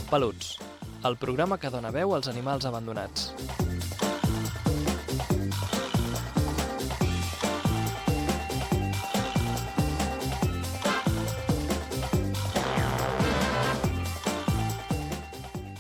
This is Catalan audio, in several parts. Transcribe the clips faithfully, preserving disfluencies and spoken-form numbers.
Peluts, el programa que dona veu als animals abandonats.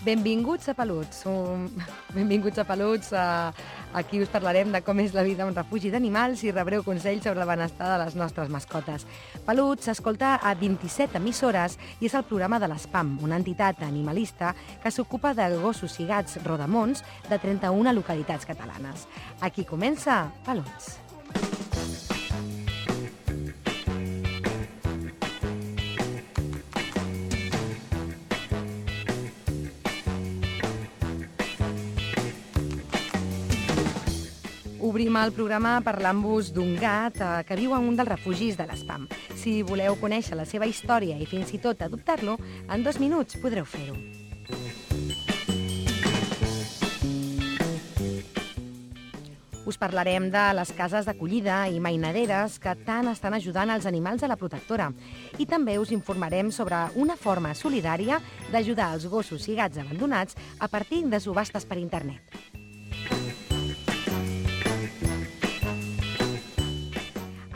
Benvinguts a Peluts. Um, benvinguts a Peluts. Uh, aquí us parlarem de com és la vida a un refugi d'animals i rebreu consells sobre el benestar de les nostres mascotes. Peluts s'escolta a vint-i-set emissores i és el programa de l'ESPAM, una entitat animalista que s'ocupa de gossos i gats rodamons de trenta-una localitats catalanes. Aquí comença Peluts. Obrim el programa parlant-vos d'un gat eh, que viu en un dels refugis de l'ESPAM. Si voleu conèixer la seva història i fins i tot adoptar-lo, en dos minuts podreu fer-ho. Us parlarem de les cases d'acollida i mainaderes que tant estan ajudant els animals a la protectora. I també us informarem sobre una forma solidària d'ajudar els gossos i gats abandonats a partir de subhastes per internet.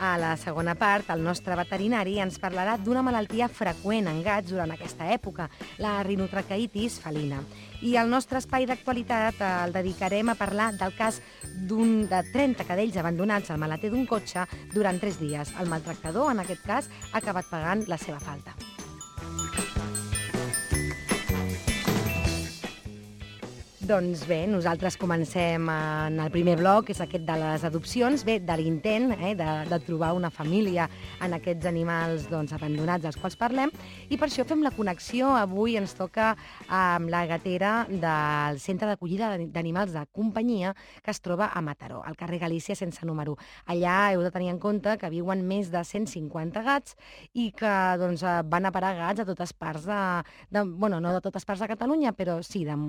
A la segona part, el nostre veterinari ens parlarà d'una malaltia freqüent en gats durant aquesta època, la rinotraqueitis felina. I el nostre espai d'actualitat el dedicarem a parlar del cas d'un de trenta cadells abandonats al maleter d'un cotxe durant tres dies. El maltractador, en aquest cas, ha acabat pagant la seva falta. Doncs bé, nosaltres comencem en el primer bloc, que és aquest de les adopcions, bé, de l'intent eh, de, de trobar una família en aquests animals doncs, abandonats dels quals parlem, i per això fem la connexió. Avui ens toca amb la gatera del Centre d'Acollida d'Animals de Companyia, que es troba a Mataró, al carrer Galícia sense número. Allà heu de tenir en compte que viuen més de cent cinquanta gats i que doncs, van a parar gats a totes parts de, de... Bueno, no de totes parts de Catalunya, però sí, de,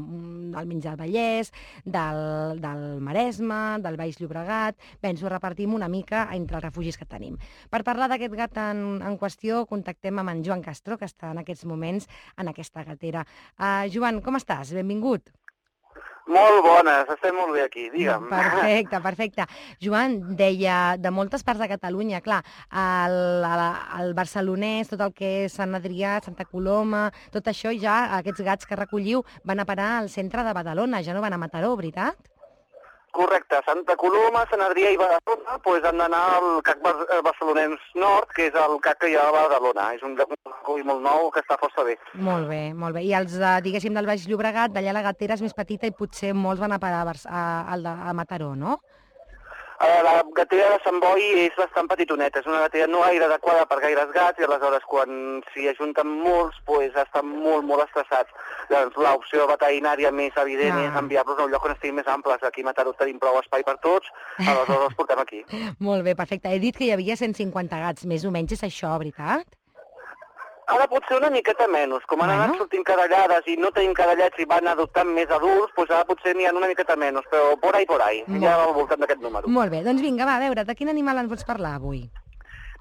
almenys del Vallès, del, del Maresme, del Baix Llobregat. Bé, ens ho repartim una mica entre els refugis que tenim. Per parlar d'aquest gat en, en qüestió, contactem amb en Joan Castro, que està en aquests moments en aquesta gatera. Uh, Joan, com estàs? Benvingut. Molt bones, estem molt bé aquí, digue'm. Perfecte, perfecte. Joan, deia, de moltes parts de Catalunya, clar, el, el, el barcelonès, tot el que és Sant Adrià, Santa Coloma, tot això ja, aquests gats que recolliu, van a parar al centre de Badalona, ja no van a Mataró, veritat? Correcte, Santa Coloma, Sant Adrià i Badalona doncs han d'anar al C A C Barcelonès Nord, que és el C A C que hi ha a Badalona. És un recull molt nou que està força bé. Molt bé, molt bé. I els, diguéssim, del Baix Llobregat, d'allà la gatera és més petita i potser molts van a parar a, a, a Mataró, no? La gatera de Sant Boi és bastant petitoneta, és una gatera no gaire adequada per gaires gats i aleshores quan s'hi ajunten molts doncs estan molt, molt estressats. Doncs l'opció veterinària més evident ah. és enviar-los a un lloc on estiguin més amples. Aquí a Mataró tenim prou espai per tots, aleshores els portem aquí. Molt bé, perfecte. He dit que hi havia cent cinquanta gats, més o menys és això, veritat? Ara pot ser una miqueta menys. Com han bueno. anat sortint cadellades i no tenim cadellets i van adoptant més adults, doncs ara potser n'hi ha una miqueta menys, però por ahí, por ahí. Molt... ja al voltant d'aquest número. Molt bé, doncs vinga, va, a veure, de quin animal ens vols parlar avui?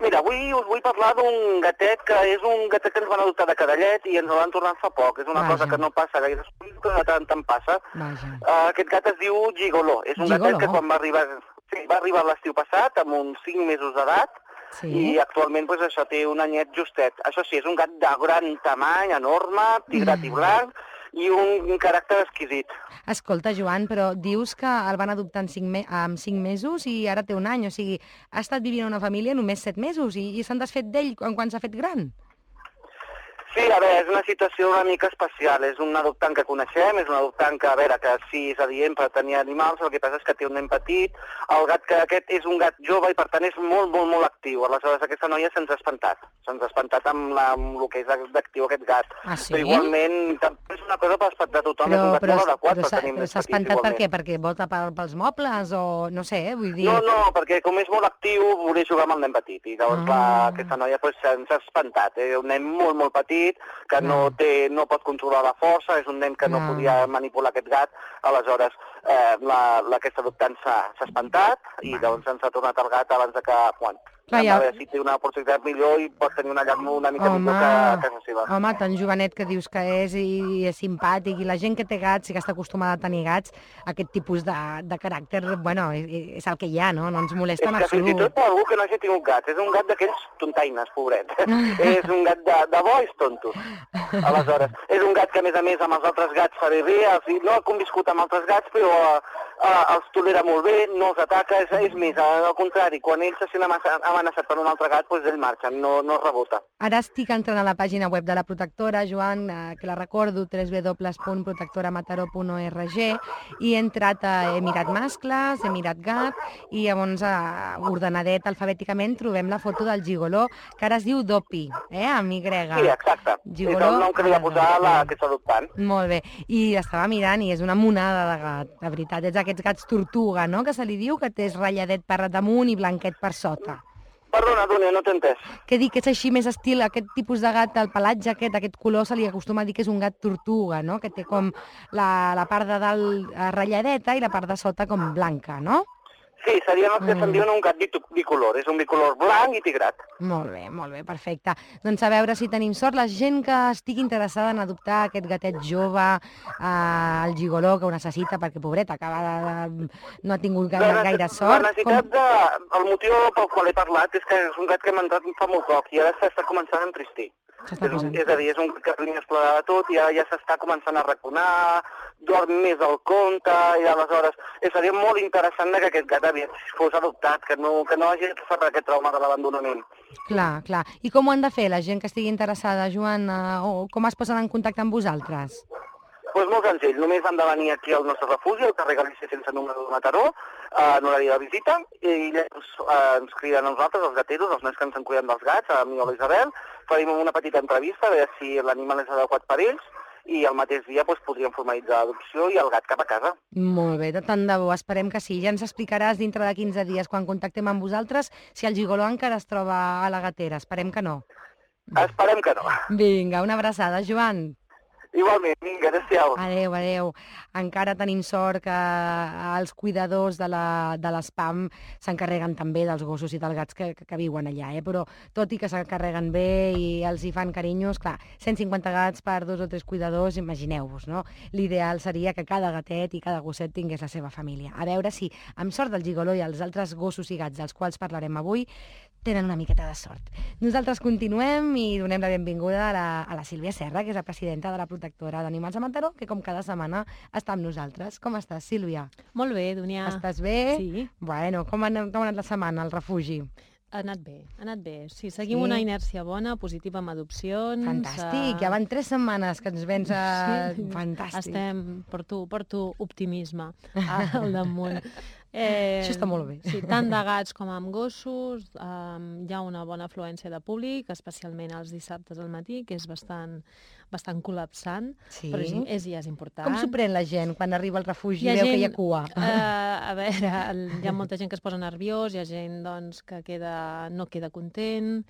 Mira, avui us vull parlar d'un gatet que és un gatet que ens van adoptar de cadellet i ens el van tornar fa poc. És una Vaja. cosa que no passa gaire, que de tant en passa. Uh, aquest gat es diu Gigoló. És un Gigoló. gatet que quan va arribar, sí, va arribar l'estiu passat, amb uns cinc mesos d'edat, sí. i actualment doncs, això té un anyet justet. Això sí, és un gat de gran tamany, enorme, tigrat mm. i blanc, i un, un caràcter exquisit. Escolta, Joan, però dius que el van adoptar en cinc, me en cinc mesos i ara té un any, o sigui, ha estat vivint en una família només set mesos i, i s'han desfet d'ell quan, quan s'ha fet gran? Sí, a veure, és una situació una mica especial. És un adoptant que coneixem, és un adoptant que, a veure, que sí és adient per tenir animals, el que passa és que té un nen petit, el gat que aquest és un gat jove i per tant és molt, molt, molt actiu. Aleshores aquesta noia se'ns ha espantat. Se'ns ha espantat amb, la, amb el que és d'actiu aquest gat. Ah, sí? Però igualment, és una cosa per espantar tothom, però, és un gat però, molt adequat però, per tenir però més s'ha petits espantat igualment. per què? Perquè volta pels mobles o no sé, eh? Vull dir... No, no, perquè com és molt actiu volia jugar amb el nen petit i llavors ah. la, aquesta noia pues, se'ns ha espantat. És eh? un nen molt, molt petit que no No, té, no pot controlar la força, és un nen que no, no podia manipular aquest gat, aleshores eh, la, la, aquesta adoptant s'ha espantat i doncs ens ha tornat el gat abans de que, bueno, Clar, ja... A veure si té una oportunitat millor i pots tenir una llar una mica home, millor que a casa seva. Home, tan jovenet que dius que és i és simpàtic, i la gent que té gats i que està acostumada a tenir gats, aquest tipus de, de caràcter, bueno, és, és el que hi ha, no? No ens molesta en absolut. És que fins i tot per algú que no hagi tingut gats, és un gat d'aquells tontaines, pobret. És un gat de, de bo, és tonto. Aleshores, és un gat que, a més a més, amb els altres gats fa bé, no ha conviscut amb altres gats, però uh, els tolera molt bé, no els ataca, és, és més, al contrari, quan ell se sent amenaçat per un altre gat, doncs ell marxa, no, no rebota. Ara estic entrant a la pàgina web de la protectora, Joan, eh, que la recordo, w w w punt protectora mataró punt org, i he entrat a he mirat mascles, he mirat gat, i llavors, eh, ordenadet alfabèticament, trobem la foto del gigoló, que ara es diu Dopi, eh, amb Y. Sí, exacte. Gigoló, és el nom que li va posar la que està adoptant. Molt bé. I estava mirant i és una monada de gat, de veritat. És aquests gats tortuga, no?, que se li diu, que té ratlladet per damunt i blanquet per sota. Perdona, Dúnia, no t'he entès. Què dic, que és així més estil, aquest tipus de gat, el pelatge aquest, aquest color, se li acostuma a dir que és un gat tortuga, no?, que té com la, la part de dalt ratlladeta i la part de sota com blanca, no? Sí, serien els que mm. se'n diuen un gat bicolor, és un bicolor blanc i tigrat. Molt bé, molt bé, perfecte. Doncs a veure si tenim sort, la gent que estigui interessada en adoptar aquest gatet jove, eh, el gigoló, que ho necessita, perquè, pobret, acaba de... no ha tingut gaire, gaire sort. La necessitat com... de... El motiu pel qual he parlat és que és un gat que m'ha entrat fa molt poc i ara s'està començant a entristir. És, un, és a dir, és un gat que li explorarà tot i ja, ja s'està començant a raconar, dorm més al compte, i aleshores seria molt interessant que aquest gat fos adoptat, que no, que no hagi sofert aquest trauma de l'abandonament. Clar, clar. I com ho han de fer la gent que estigui interessada, Joan, eh, o com es posen en contacte amb vosaltres? Doncs pues molt senzill, només han de venir aquí al nostre refugi, al carrer Galícia sense número de Mataró, en horari de visita, i llavors eh, ens criden a nosaltres, els gateros, els nens que ens en cuiden dels gats, a mi o a l'Isabel, farem una petita entrevista, a veure si l'animal és adequat per ells, i el mateix dia doncs, podríem formalitzar l'adopció i el gat cap a casa. Molt bé, de tant de bo, esperem que sí. Ja ens explicaràs dintre de quinze dies, quan contactem amb vosaltres, si el gigoló encara es troba a la gatera. Esperem que no. Esperem que no. Vinga, una abraçada, Joan. Igualment, vinga, adéu-siau. Adéu, adéu. Encara tenim sort que els cuidadors de l'espam s'encarreguen també dels gossos i dels gats que, que, que viuen allà, eh? Però tot i que s'encarreguen bé i els hi fan carinyos, clar, cent cinquanta gats per dos o tres cuidadors, imagineu-vos, no? L'ideal seria que cada gatet i cada gosset tingués la seva família. A veure si, amb sort del gigoló i els altres gossos i gats dels quals parlarem avui, tenen una miqueta de sort. Nosaltres continuem i donem la benvinguda a la, a la Sílvia Serra, que és la presidenta de la protectora d'Animals de Mataró, que com cada setmana està amb nosaltres. Com estàs, Sílvia? Molt bé, Dúnia. Estàs bé? Sí. Bueno, com ha, com ha anat la setmana al refugi? Ha anat bé, ha anat bé. Sí, seguim sí. una inèrcia bona, positiva amb adopcions. Fantàstic, uh... ja van tres setmanes que ens vens a... Sí. Fantàstic. Estem, porto, porto optimisme al damunt. Eh, Això està molt bé. Sí, tant de gats com amb gossos, um, hi ha una bona afluència de públic, especialment els dissabtes al matí, que és bastant, bastant col·lapsant, sí. però és, és, ja és important. Com s'ho pren la gent quan arriba al refugi i veu gent, que hi ha cua? Uh, a veure, hi ha molta gent que es posa nerviós, hi ha gent doncs, que queda, no queda content.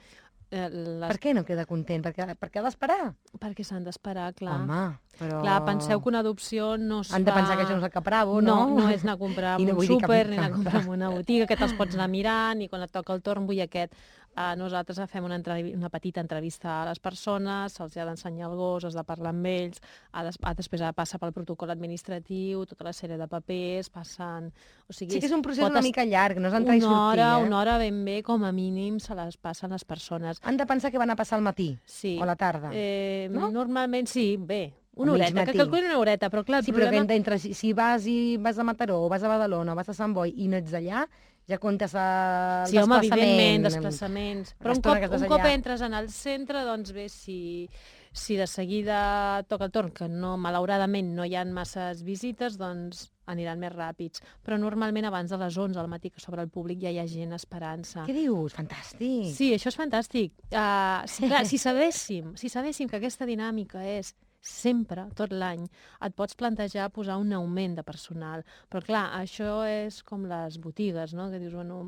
Les... Per què no queda content? Perquè, perquè ha d'esperar? Perquè s'han d'esperar, clar. Home, però... Clar, penseu que una adopció no es fa... Han de pensar que això no és el Capravo, no? No, no és anar a comprar en no un súper, ni anar a comprar en una botiga, que te'ls pots anar mirant, i quan et toca el torn vull aquest. Uh, nosaltres fem una, una petita entrevista a les persones, se'ls ha d'ensenyar el gos, has de parlar amb ells, ha des, ha, després ha de passar pel protocol administratiu, tota la sèrie de papers, passen... O sigui, sí que és un procés una mica llarg, no és entrar i sortir. Una hora, eh? una hora ben bé, com a mínim, se les passen les persones. Han de pensar que van a passar al matí sí. o a la tarda, eh, no? Normalment sí, bé. Una horeta, que calculin una horeta, però clar... Sí, problema... però entre, si, si vas, i vas a Mataró, o vas a Badalona, o vas a Sant Boi i no ets allà, ja comptes el sí, home, desplaçament. evidentment, desplaçaments. Però un cop, un cop entres en el centre, doncs bé, si, si de seguida toca el torn, que no, malauradament no hi ha masses visites, doncs aniran més ràpids. Però normalment abans de les onze al matí, que sobre el públic ja hi ha gent esperant-se. Què dius? Fantàstic! Sí, això és fantàstic. Uh, sí, clar, si sabéssim, si sabéssim que aquesta dinàmica és sempre, tot l'any, et pots plantejar posar un augment de personal. Però clar, això és com les botigues, no? Que dius, bueno,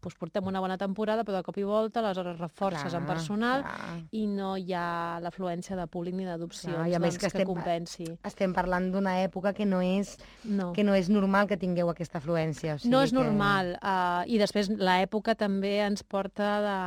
doncs portem una bona temporada, però de cop i volta, aleshores reforces en personal i no hi ha l'afluència de públic ni d'adopcions doncs, que, que compensi. Estem parlant d'una època que no és, no. que no és normal que tingueu aquesta afluència. O sigui no és que... normal. Uh, I després l'època també ens porta de,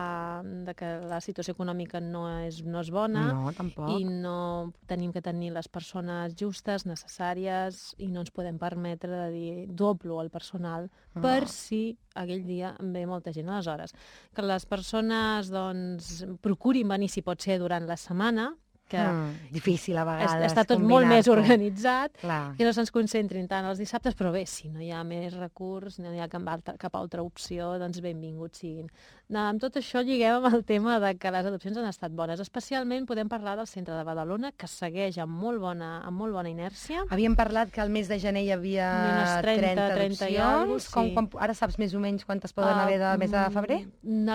de que la situació econòmica no és, no és bona no, tampoc. I no tenim que tenir les persones justes, necessàries, i no ens podem permetre de dir doblo el personal oh. per si aquell dia ve molta gent. Aleshores, que les persones doncs, procurin venir, si pot ser, durant la setmana, que mm, difícil a vegades està tot molt més organitzat, Clar. que no se'ns concentrin tant els dissabtes, però bé, si no hi ha més recurs, no hi ha cap altra, cap altra opció, doncs benvinguts siguin. No, amb tot això lliguem amb el tema de que les adopcions han estat bones. Especialment podem parlar del centre de Badalona, que segueix amb molt bona, amb molt bona inèrcia. Havíem parlat que al mes de gener hi havia trenta, trenta adopcions. Sí. Com, com, ara saps més o menys quantes poden uh, haver del mes de febrer?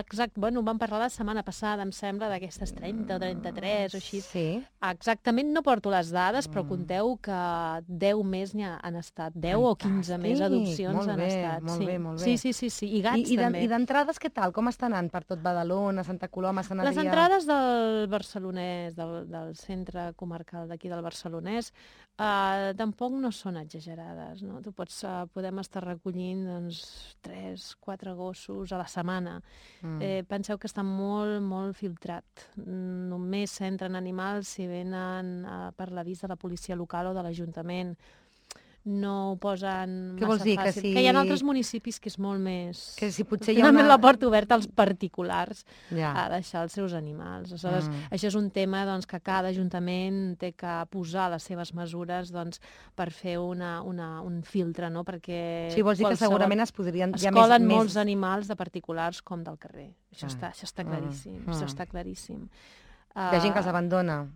Exacte, bueno, vam parlar la setmana passada, em sembla, d'aquestes trenta o trenta-tres o així. Sí. Exactament no porto les dades, però conteu que deu més n'hi han estat, deu Fantàstic. O quinze més adopcions molt han bé, estat. Molt sí. bé, molt bé. Sí, sí, sí, sí. I gats I, i també. I d'entrades què tal? Com està anant per tot Badalona, Santa Coloma, Sant Adrià? Les entrades del Barcelonès, del, del centre comarcal d'aquí del Barcelonès, eh, tampoc no són exagerades, no? Tu pots, eh, podem estar recollint doncs, tres, quatre gossos a la setmana. Mm. Eh, penseu que està molt, molt filtrat. Només s'entren animals si venen uh, per l'avís de la policia local o de l'Ajuntament. No ho posen Què massa vols dir, fàcil. que, si... que hi ha altres municipis que és molt més... Que si potser hi ha una... una... la porta oberta als particulars ja. a deixar els seus animals. Aleshores, mm. això és un tema doncs, que cada ajuntament té que posar les seves mesures doncs, per fer una, una, un filtre, no? Perquè sí, vols dir que segurament es podrien... Es colen més, molts més... animals de particulars com del carrer. Això, ah. està, això està claríssim. Mm. Això està claríssim. Hi ha gent que els abandona.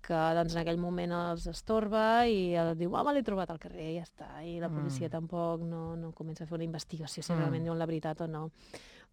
Que doncs, en aquell moment els estorba i el diu, home, l'he trobat al carrer, ja està. I la policia mm. tampoc no, no comença a fer una investigació si mm. realment diuen la veritat o no.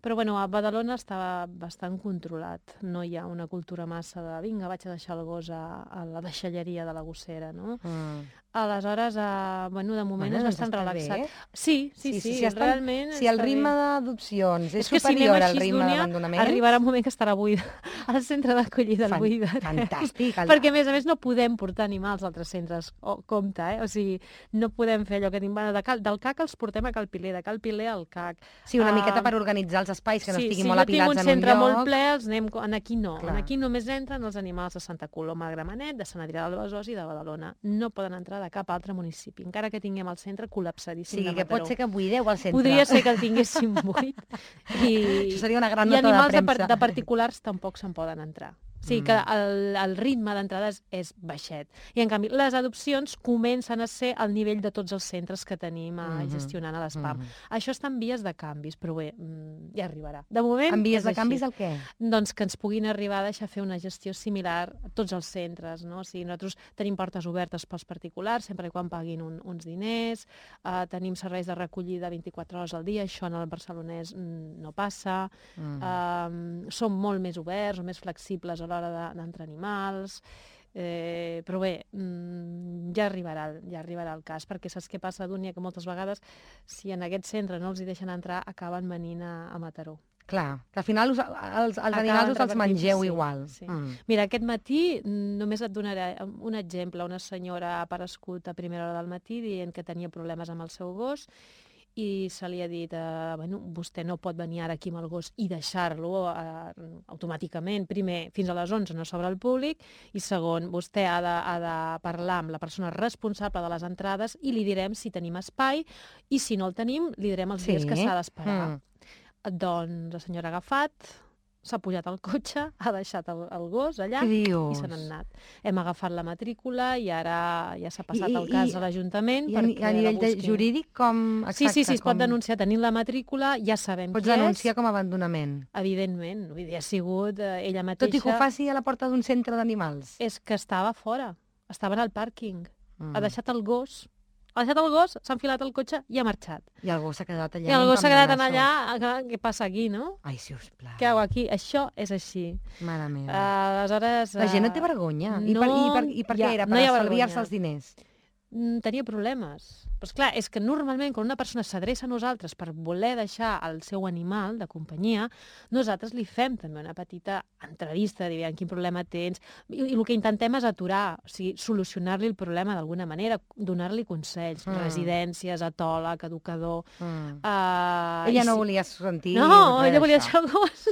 Però bueno, a Badalona està bastant controlat. No hi ha una cultura massa de vinga, vaig a deixar el gos a, a la deixalleria de la gossera, no? Mm. Aleshores, uh, bueno, de moment bueno, és bastant relaxat. Sí, sí, sí, sí, sí, sí realment... Si el ritme d'adopcions és, és superior si al ritme d'abandonament... Arribarà un moment que estarà buida. Al centre d'acollida el buida. Fantàstic. Perquè, a més a més, no podem portar animals a altres centres. Oh, compte, eh? O sigui, no podem fer allò que tenim... De Cal, del C A C els portem a Cal Piler, de Cal Piler al C A C. Sí, una uh, miqueta per organitzar els espais, que no sí, estiguin sí, molt apilats en un lloc. Sí, si jo tinc un centre molt ple, els anem... En aquí no. Clar. En aquí només entren els animals de Santa Coloma de Gramenet, de Sant Adrià del Besòs i de Badalona. No poden entrar de cap altre municipi, encara que tinguem el centre col·lapsadíssim sí, de Mataró. Sí, que pot ser que buideu el centre. Podria ser que el tinguéssim buit. I, Això seria una gran nota de premsa. I animals de, de particulars tampoc se'n poden entrar. O sigui que el, el ritme d'entrades és baixet. I, en canvi, les adopcions comencen a ser al nivell de tots els centres que tenim a, mm-hmm. gestionant a l'ESPAM. Mm-hmm. Això està en vies de canvis, però bé, ja arribarà. De moment, en vies de així. Canvis el què? Doncs que ens puguin arribar a deixar fer una gestió similar a tots els centres, no? O sigui, nosaltres tenim portes obertes pels particulars, sempre i quan paguin un, uns diners, uh, tenim serveis de recollida vint-i-quatre hores al dia, això en el Barcelonès mm, no passa, mm. uh, som molt més oberts, més flexibles a l'hora d'entrar animals, eh, però bé, mmm, ja arribarà, ja arribarà el cas, perquè saps què passa, Dúnia, que moltes vegades, si en aquest centre no els hi deixen entrar, acaben venint a, a Mataró. Clar, que al final us, els, els animals us els mengeu sí, igual. Sí. Mm. Mira, aquest matí només et donaré un exemple. Una senyora ha aparegut a primera hora del matí dient que tenia problemes amb el seu gos i se li ha dit, eh, bueno, vostè no pot venir ara aquí amb el gos i deixar-lo eh, automàticament, primer, fins a les onze no s'obre al públic, i segon, vostè ha de, ha de parlar amb la persona responsable de les entrades i li direm si tenim espai, i si no el tenim, li direm els sí. dies que s'ha d'esperar. Mm. Doncs la senyora ha agafat, s'ha pujat al cotxe, ha deixat el, el gos allà i se n'ha anat. Hem agafat la matrícula i ara ja s'ha passat I, el cas i, a l'Ajuntament. I a, a nivell de jurídic, com... Exacte, sí, sí, sí, es com... pot denunciar. Tenint la matrícula, ja sabem Pots què és. Pots denunciar com a abandonament. Evidentment. Vull dir, ha sigut eh, ella mateixa... Tot i que ho faci a la porta d'un centre d'animals. És que estava fora. Estava en el pàrquing. Mm. Ha deixat el gos ha deixat el gos, s'ha enfilat al cotxe i ha marxat. I el gos s'ha quedat allà. I el gos s'ha quedat allà, què passa aquí, no? Ai, sisplau. Què hago aquí? Això és així. Mare meva. Uh, aleshores... La gent no té vergonya. No, I per, i per, i per ja, què era? Per no estalviar-se els diners? Tenia problemes. Però esclar, és que normalment quan una persona s'adreça a nosaltres per voler deixar el seu animal de companyia, nosaltres li fem també una petita entrevista, diguem, quin problema tens, i, i el que intentem és aturar, o sigui, solucionar-li el problema d'alguna manera, donar-li consells, mm. residències, atòleg, educador... Mm. Uh, ella no si... volia sentir... No, ella volia deixar el gos.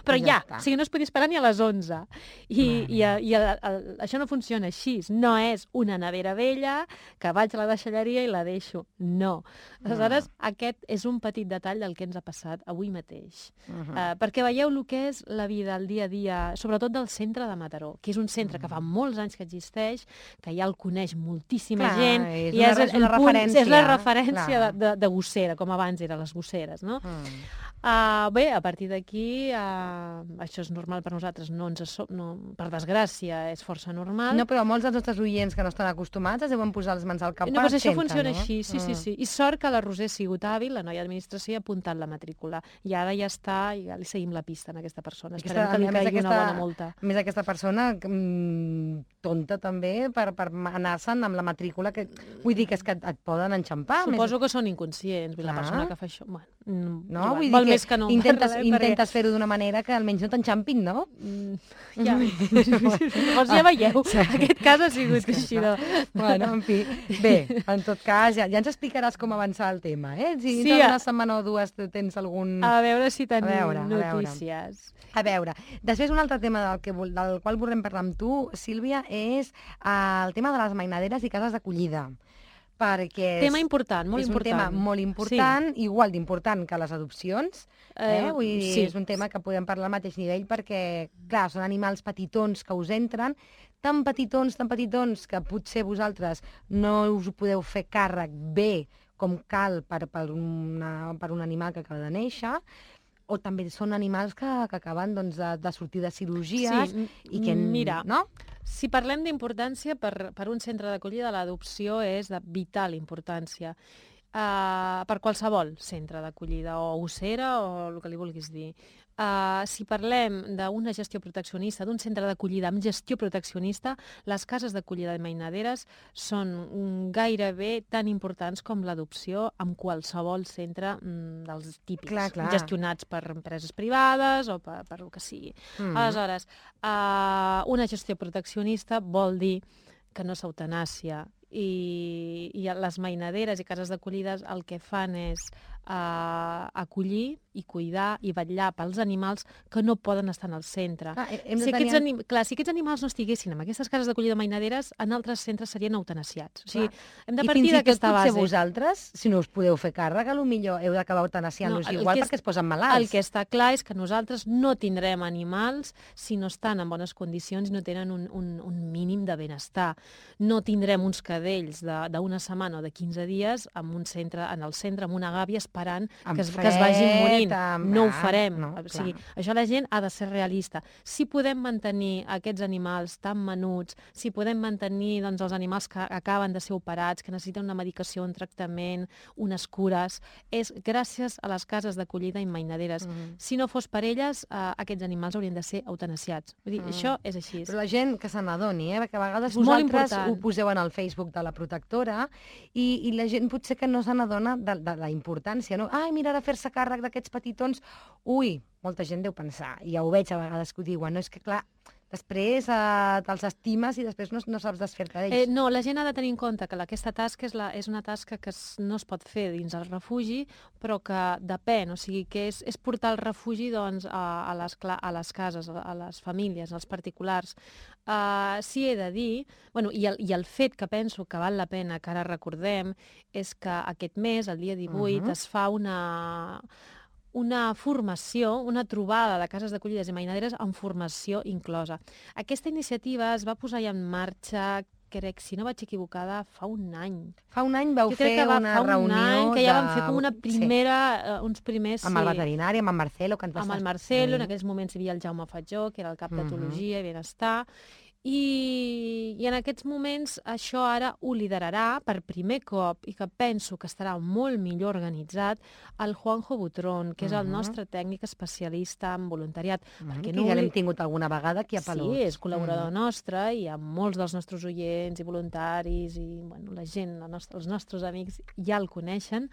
Però ja, ja o sigui, no es podia esperar ni a les onze. I, i, i el, el, això no funciona així. No és una nevera vella que vaig a la deixalleria i la deixo. No. Aleshores, no. Aquest és un petit detall del que ens ha passat avui mateix. Uh -huh. uh, perquè veieu el que és la vida, el dia a dia, sobretot del centre de Mataró, que és un centre uh -huh. que fa molts anys que existeix, que ja el coneix moltíssima clar, gent, és i una, és, el, és, una el punt, referència, és la referència de, de, de gossera, com abans eren les gosseres, no? Uh -huh. Uh, bé, a partir d'aquí, uh, això és normal per nosaltres, no ens so no, per desgràcia, és força normal. No, però molts dels nostres oients que no estan acostumats es deuen posar les mans al cap no, per però això centre, funciona no? així, sí, sí, sí. I sort que la Roser ha sigut hàbil, la noia d'administració, ha apuntat la matrícula. I ara ja està, i ja li seguim la pista a aquesta persona. Esperem aquesta, que li caigui aquesta, una bona multa. A més, aquesta persona mm, tonta també per, per anar-se'n amb la matrícula, que vull dir que és que et, et poden enxampar. Suposo més... que són inconscients, la persona que fa això... Bueno, no, igual, vull dir val que més que no intentes, parlem, intentes perquè... fer-ho d'una manera que almenys no t'enxampin, no? Mm, ja, llavors ja veieu, sí. Aquest cas ha sigut sí, així. No? Bueno, en fi, bé, en tot cas, ja, ja ens explicaràs com avançar el tema, eh? Si sí, una setmana o dues tens algun... A veure si tenim a veure, notícies. A veure. a veure, després un altre tema del, que, del qual volem parlar amb tu, Sílvia, és uh, el tema de les mainaderes i cases d'acollida. Perquè és, tema important, molt és important. un tema molt important, sí. Igual d'important que les adopcions. Eh? Eh, Vull dir, sí. És un tema que podem parlar al mateix nivell perquè, clar, són animals petitons que us entren, tan petitons, tan petitons, que potser vosaltres no us ho podeu fer càrrec bé com cal per, per, una, per un animal que acaba de néixer, o també són animals que, que acaben doncs, de, de sortir de cirurgies sí, i que... Mira, no? Si parlem d'importància, per, per un centre d'acollida, l'adopció és de vital importància. Uh, per qualsevol centre d'acollida, o gossera, o el que li vulguis dir. Uh, si parlem d'una gestió proteccionista, d'un centre d'acollida amb gestió proteccionista, les cases d'acollida de mainaderes són gairebé tan importants com l'adopció amb qualsevol centre mm, dels típics, clar, clar. gestionats per empreses privades o per, per el que sigui. Mm. Aleshores, uh, una gestió proteccionista vol dir que no s'eutanàsia, i, i les mainaderes i cases d'acollides el que fan és uh, acollir i cuidar i vetllar pels animals que no poden estar en el centre. Ah, hem de si, aquests tenir... anim... Clar, si aquests animals no estiguessin en aquestes cases d'acollida mainaderes, en altres centres serien eutanasiats. O sigui, hem de partir d'aquesta base. I fins i tot vosaltres, si no us podeu fer càrrec, potser heu d'acabar eutanasiant-los no, igual perquè es posen malalts. El que està clar és que nosaltres no tindrem animals si no estan en bones condicions i no tenen un, un, un mínim de benestar. No tindrem uns cadells d'una setmana o de quinze dies en un centre, en el centre, amb una gàbia esperant que es, fred, que es vagin morint. Amb... No ho farem. No, o sigui, això la gent ha de ser realista. Si podem mantenir aquests animals tan menuts, si podem mantenir doncs, els animals que acaben de ser operats, que necessiten una medicació, un tractament, unes cures, és gràcies a les cases d'acollida i mainaderes. Mm -hmm. Si no fos per elles, eh, aquests animals haurien de ser eutanasiats. Vull dir, mm. això és així. Però la gent que se n'adoni, eh? Perquè a vegades vosaltres ho poseu en el Facebook de la protectora i, i la gent potser que no se n'adona de, de la importància, no? Ai, mira, ara fer-se càrrec d'aquests petitons. Ui, molta gent deu pensar, i ja ho veig a vegades que ho diuen, no? És que clar, després eh, te'ls estimes i després no, no saps desfer-te d'ells. Eh, no, la gent ha de tenir en compte que aquesta tasca és, la, és una tasca que es, no es pot fer dins el refugi, però que depèn, o sigui, que és, és portar el refugi doncs, a, a, les, a les cases, a les famílies, als particulars. Uh, sí he de dir, bueno, i, el, i el fet que penso que val la pena que ara recordem és que aquest mes, el dia divuit, uh-huh. es fa una... una formació, una trobada de cases d'acollides i mainaderes amb formació inclosa. Aquesta iniciativa es va posar ja en marxa, crec, si no vaig equivocada, fa un any. Fa un any vau fer va, una reunió... Any, que ja de... vam fer com una primera, sí. uh, uns primers... Amb sí. el veterinari, amb en Marcelo, que ens va Amb el Marcelo, sí. En aquells moments hi havia el Jaume Fatjó, que era el cap d'etologia mm -hmm. i benestar, I, i en aquests moments això ara ho liderarà per primer cop i que penso que estarà molt millor organitzat el Juanjo Butrón, que és el Uh-huh. nostre tècnic especialista en voluntariat. Mm, perquè que no ja obli- l'hem tingut alguna vegada aquí a Pelots. Sí, és col·laborador Mm. nostre i amb molts dels nostres oients i voluntaris i bueno, la gent, la nostra, els nostres amics ja el coneixen.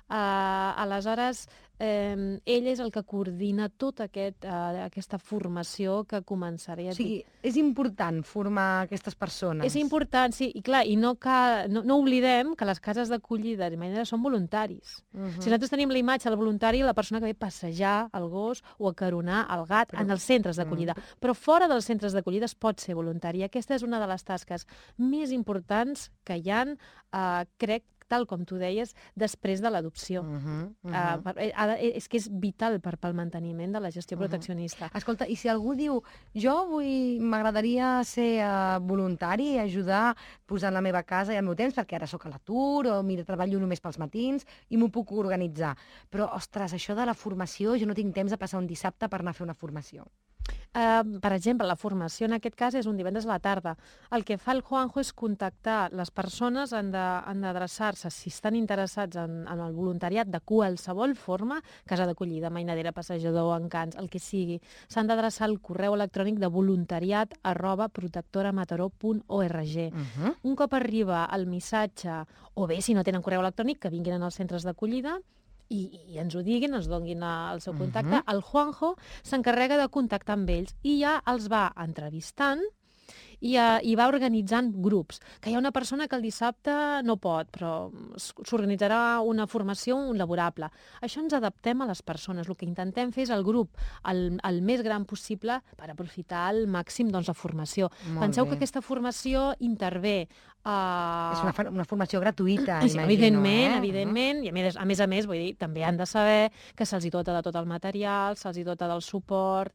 Uh, aleshores, eh, ell és el que coordina tota aquest, uh, aquesta formació que començarà. Ja O sigui, és important formar aquestes persones. és important, sí, i clar, i no, cal, no, no oblidem que les cases d'acollida de manera són voluntaris. Uh-huh. Si nosaltres tenim la imatge del voluntari, la persona que ve a passejar el gos o a caronar el gat Però- en els centres d'acollida. Mm. Però fora dels centres d'acollida es pot ser voluntari. I aquesta és una de les tasques més importants que hi ha, eh, crec, tal com tu deies, després de l'adopció. Uh-huh, uh-huh. Uh, per, eh, ha de- és que és vital per, pel manteniment de la gestió Uh-huh. proteccionista. Escolta, i si algú diu, jo vull, m'agradaria ser uh, voluntari i ajudar posant la meva casa i el meu temps, perquè ara sóc a l'atur o mira, treballo només pels matins i m'ho puc organitzar. Però, ostres, això de la formació, jo no tinc temps de passar un dissabte per anar a fer una formació. Uh, per exemple, la formació en aquest cas és un divendres a la tarda. El que fa el Juanjo és contactar les persones, han de- han d'adreçar-se, si estan interessats en, en el voluntariat de qualsevol forma, casa d'acollida, mainadera, passejador, encants, el que sigui, s'han d'adreçar al correu electrònic de voluntariat arroba protectoramataró punt org. Uh-huh. Un cop arriba el missatge, o bé, si no tenen correu electrònic, que vinguin als centres d'acollida, i, i ens ho diguin, ens donin el seu contacte, Mhm. el Juanjo s'encarrega de contactar amb ells i ja els va entrevistant i, uh, i va organitzant grups. Que hi ha una persona que el dissabte no pot, però s- s'organitzarà una formació, un laborable. Això ens adaptem a les persones. El que intentem fer és el grup el, el més gran possible per aprofitar al màxim doncs, la formació. Molt Penseu bé. que aquesta formació intervé... Uh, És una, fa- una formació gratuïta, Sí, imagino, evidentment, eh? evidentment, i a més, a més a més, vull dir, també han de saber que se'ls hi dota de tot el material, se'ls hi dota del suport,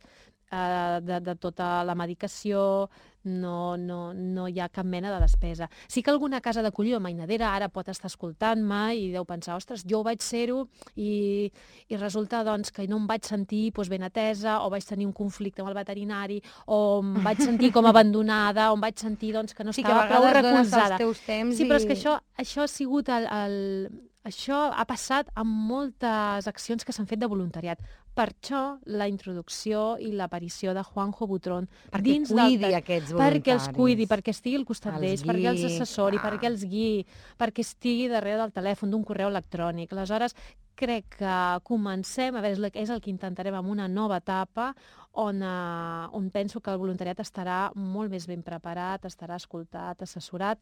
eh, de, de tota la medicació, no, no, no hi ha cap mena de despesa. Sí que alguna casa d'acollida o mainadera ara pot estar escoltant-me i deu pensar, ostres, jo vaig ser-ho i, i resulta doncs, que no em vaig sentir doncs, ben atesa o vaig tenir un conflicte amb el veterinari o em vaig sentir com abandonada o em vaig sentir doncs, que no Sí, que a estava prou vegades dones recolzada. els teus temps Sí, però és i- que això, això ha sigut el, el... Això ha passat amb moltes accions que s'han fet de voluntariat. Per això la introducció i l'aparició de Juanjo Butrón Perquè dins cuidi del... aquests voluntaris. Perquè els cuidi, perquè estigui al costat Els d'ells, perquè els guiï, assessori, clar. perquè els guiï, perquè estigui darrere del telèfon, d'un correu electrònic. Aleshores, crec que comencem, a veure, és el- és el que intentarem amb una nova etapa on, uh, on penso que el voluntariat estarà molt més ben preparat, estarà escoltat, assessorat,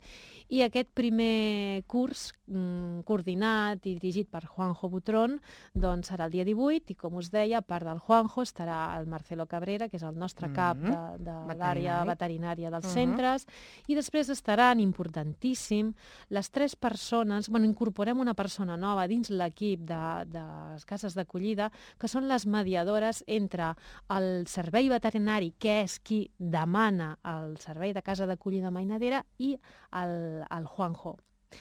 i aquest primer curs mm, coordinat i dirigit per Juanjo Butrón doncs serà el dia divuit i, com us deia, a part del Juanjo estarà el Marcelo Cabrera, que és el nostre cap de, de l'àrea Veterinari. veterinària dels Mhm. centres, i després estaran, importantíssim, les tres persones, bueno, incorporem una persona nova dins l'equip de, de les cases d'acollida, que són les mediadores entre el servei veterinari, que és qui demana el servei de casa d'acollida mainadera, i el, el Juanjo.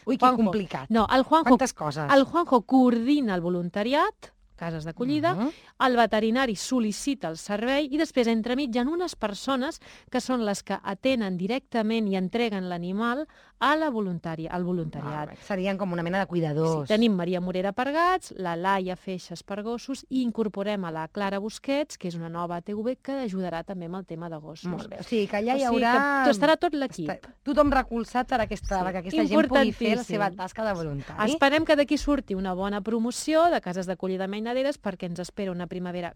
Ui, que Juanjo. complicat. No, el Juanjo, Quantes coses. el Juanjo coordina el voluntariat, cases d'acollida, Mhm. el veterinari sol·licita el servei i després entremig hi ha unes persones que són les que atenen directament i entreguen l'animal a la voluntària, al voluntariat. Val, serien com una mena de Sí, cuidadors. tenim Maria Morera per gats, la Laia Feixes per gossos i incorporem a la Clara Busquets, que és una nova A T V que ajudarà també amb el tema de gossos. Molt bé. O sigui, que allà hi O sigui haurà... que estarà tot l'equip. Està- Tothom recolzat per aquesta, Sí, perquè aquesta gent pugui fer la importantíssim. seva tasca de voluntari. Esperem que d'aquí surti una bona promoció de cases d'acollida mainaderes perquè ens espera una primavera.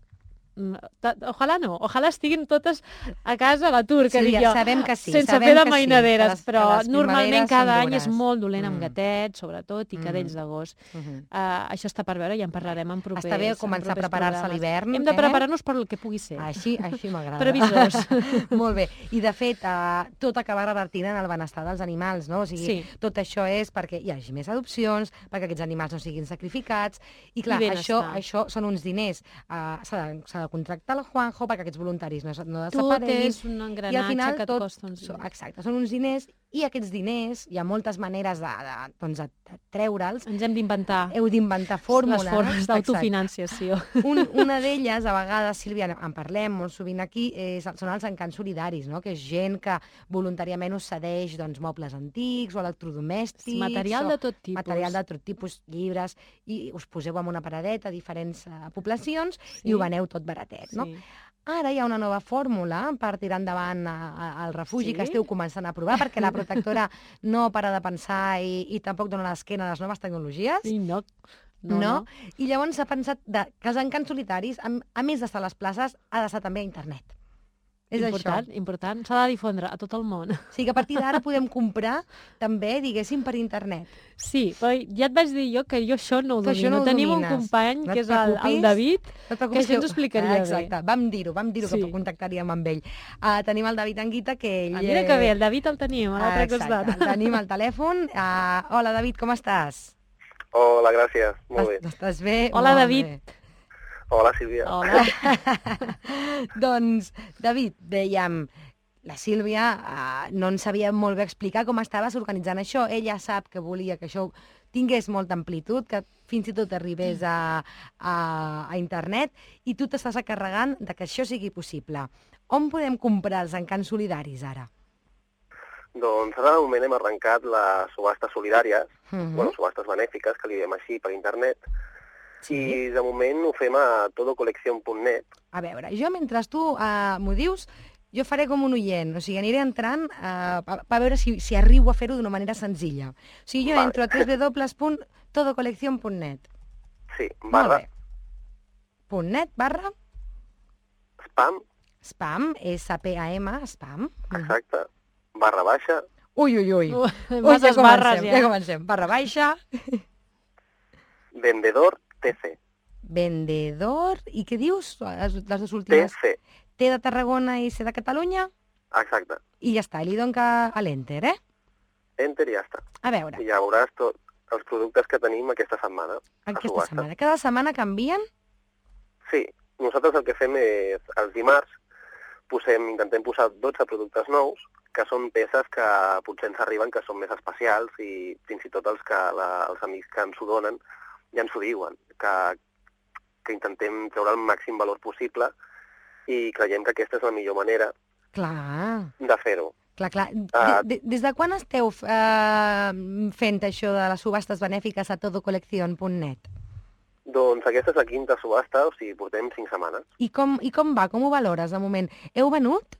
Mm, ta- Ojalà no, ojalà estiguin totes a casa a l'atur, que Sí, dic ja jo, sabem que sí, sense sabem fer de que sí, mainaderes, que les- però que les normalment primaveres cada són any és dures. molt dolent amb Mm. gatets, sobretot, i Mm. cadells de gos. Mhm. Uh, això està per veure i en parlarem en propers Està bé en començar a propers preparar-se a programes. l'hivern, Hem de eh? preparar-nos per el que pugui ser. Així, així m'agrada. Previsors. Molt bé. I, de fet, uh, tot acaba revertint en el benestar dels animals, no? O sigui, Sí. tot això és perquè hi hagi més adopcions, perquè aquests animals no siguin sacrificats. I, clar, I això, benestar. això són uns diners. Uh, S'ha de, s'ha s'ha de contractar el Juanjo perquè aquests voluntaris no, no Tot desapareguin. és un engranatge que et tot, costa uns diners. Exacte, són uns diners i aquests diners, hi ha moltes maneres de, de, doncs, de treure'ls. Ens hem d'inventar. Heu d'inventar fórmules. Les formes d'autofinanciació. Un, una d'elles, a vegades, Sílvia, en parlem molt sovint aquí, és, són els encants solidaris, no? Que és gent que voluntàriament us cedeix doncs, mobles antics o electrodomèstics. Material o de tot tipus. Material de tot tipus, llibres, i us poseu en una paradeta a diferents uh, poblacions Sí. i ho veneu tot baratet, no? Sí. Ara hi ha una nova fórmula per tirar endavant el refugi Sí? que esteu començant a provar, perquè la protectora no para de pensar i, i tampoc dona l'esquena a les noves tecnologies. I no. No, No, no. I llavors s'ha pensat de, que els encants solitaris, a, a més d'estar a les places, ha d'estar també a internet. És important, això. important. S'ha de difondre a tot el món. O sigui que a partir d'ara podem comprar també, diguéssim, per internet. Sí, però ja et vaig dir jo que jo això no ho Tu això domino. no ho Tenim un domines. company, No et que és el, el preocupis. David, No et que preocupis, això ens ho explicaria ah, bé. exacte, vam dir-ho, vam dir-ho Sí. que contactaríem amb ell. Uh, tenim el David Anguita, que ell... Ah, mira que bé, el David el tenim a l'altre Exacte, costat. tenim el telèfon. Uh, hola, David, com estàs? Hola, gràcies. Molt bé. Estàs bé? Hola, Molt David. bé. Hola, Sílvia. Hola. Doncs, David, dèiem, la Sílvia uh, no ens sabia molt bé explicar com estaves organitzant això. Ella sap que volia que això tingués molta amplitud, que fins i tot arribés a, a, a internet, i tu t'estàs encarregant de que això sigui possible. On podem comprar els encants solidaris, ara? Doncs ara de moment hem arrencat les subhastes solidàries, Uh -huh. bueno, subhastes benèfiques, que li diem així, per internet, Sí. i de moment ho fem a todocolección punt net. A veure, jo mentre tu uh, m'ho dius, jo faré com un oient, o sigui, aniré entrant uh, per veure si, si arribo a fer-ho d'una manera senzilla. O sigui, jo Vale. entro a w w w punt todocolección punt net. Sí, Molt barra bé. Punt net, barra, spam, spam, S P A M, spam. exacte, barra baixa, Ui, ui, ui. Uh, Ui, Masses barres, comencem, ja. ja comencem. Barra baixa, vendedor T C. vendedor, i què dius? Les, les dues últimes. T C, T de Tarragona i C de Catalunya, exacte. i ja està, i li dono que a l'enter, eh? Enter i ja està. A veure, I ja veuràs tots els productes que tenim aquesta setmana. a aquesta subhasta. setmana. Cada setmana canvien? Sí, nosaltres el que fem és, els dimarts, posem, intentem posar dotze productes nous, que són peces que potser ens arriben, que són més especials, i fins i tot els, que, la, els amics que ens ho donen ja ens ho diuen, que, que intentem treure el màxim valor possible, i creiem que aquesta és la millor manera Clar, de fer-ho. clar, clar. Ah. De, de, des de quan esteu eh, fent això de les subhastes benèfiques a todocolección punt net? Doncs aquesta és la quinta subhasta, o sigui, portem cinc setmanes. I com, I com va? Com ho valores, de moment? Heu venut?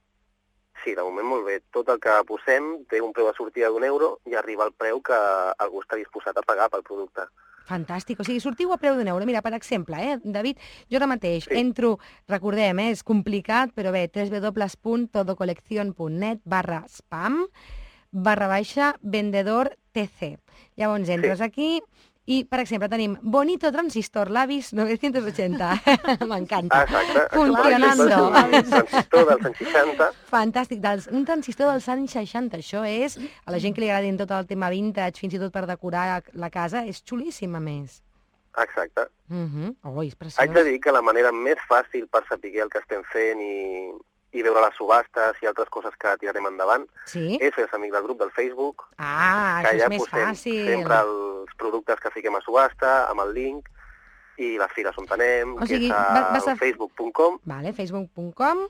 Sí, de moment molt bé. Tot el que posem té un preu de sortida d'un euro i arriba al preu que algú està disposat a pagar pel producte. Fantàstic, o sigui, sortiu a preu d'un euro. Mira, per exemple, eh, David, jo ara mateix Sí. entro, recordem, eh, és complicat, però bé, w w w punt todocolección punt net barra spam barra baixa vendedor T C. Llavors entres Sí. aquí i, per exemple, tenim Bonito Transistor Labis nou-cents vuitanta. M'encanta. Ah, exacte. Funcionando. Per exemple, és un transistor dels anys seixanta. Fantàstic, dels, un transistor dels anys seixanta, això és, a la gent que li agradin tot el tema vintage, fins i tot per decorar la casa, és xulíssim, a més. Exacte. Uh -huh. Oh, és preciós. Haig de dir que la manera més fàcil per saber el que estem fent i, i veure les subhastes i altres coses que tirarem endavant Sí? és fer-se amic del grup del Facebook, Ah, que això és allà més posem fàcil. sempre els productes que fiquem a subhasta, amb el link, i les fires on anem, O sigui, que és va- a vas a- facebook punt com Vale, facebook punt com.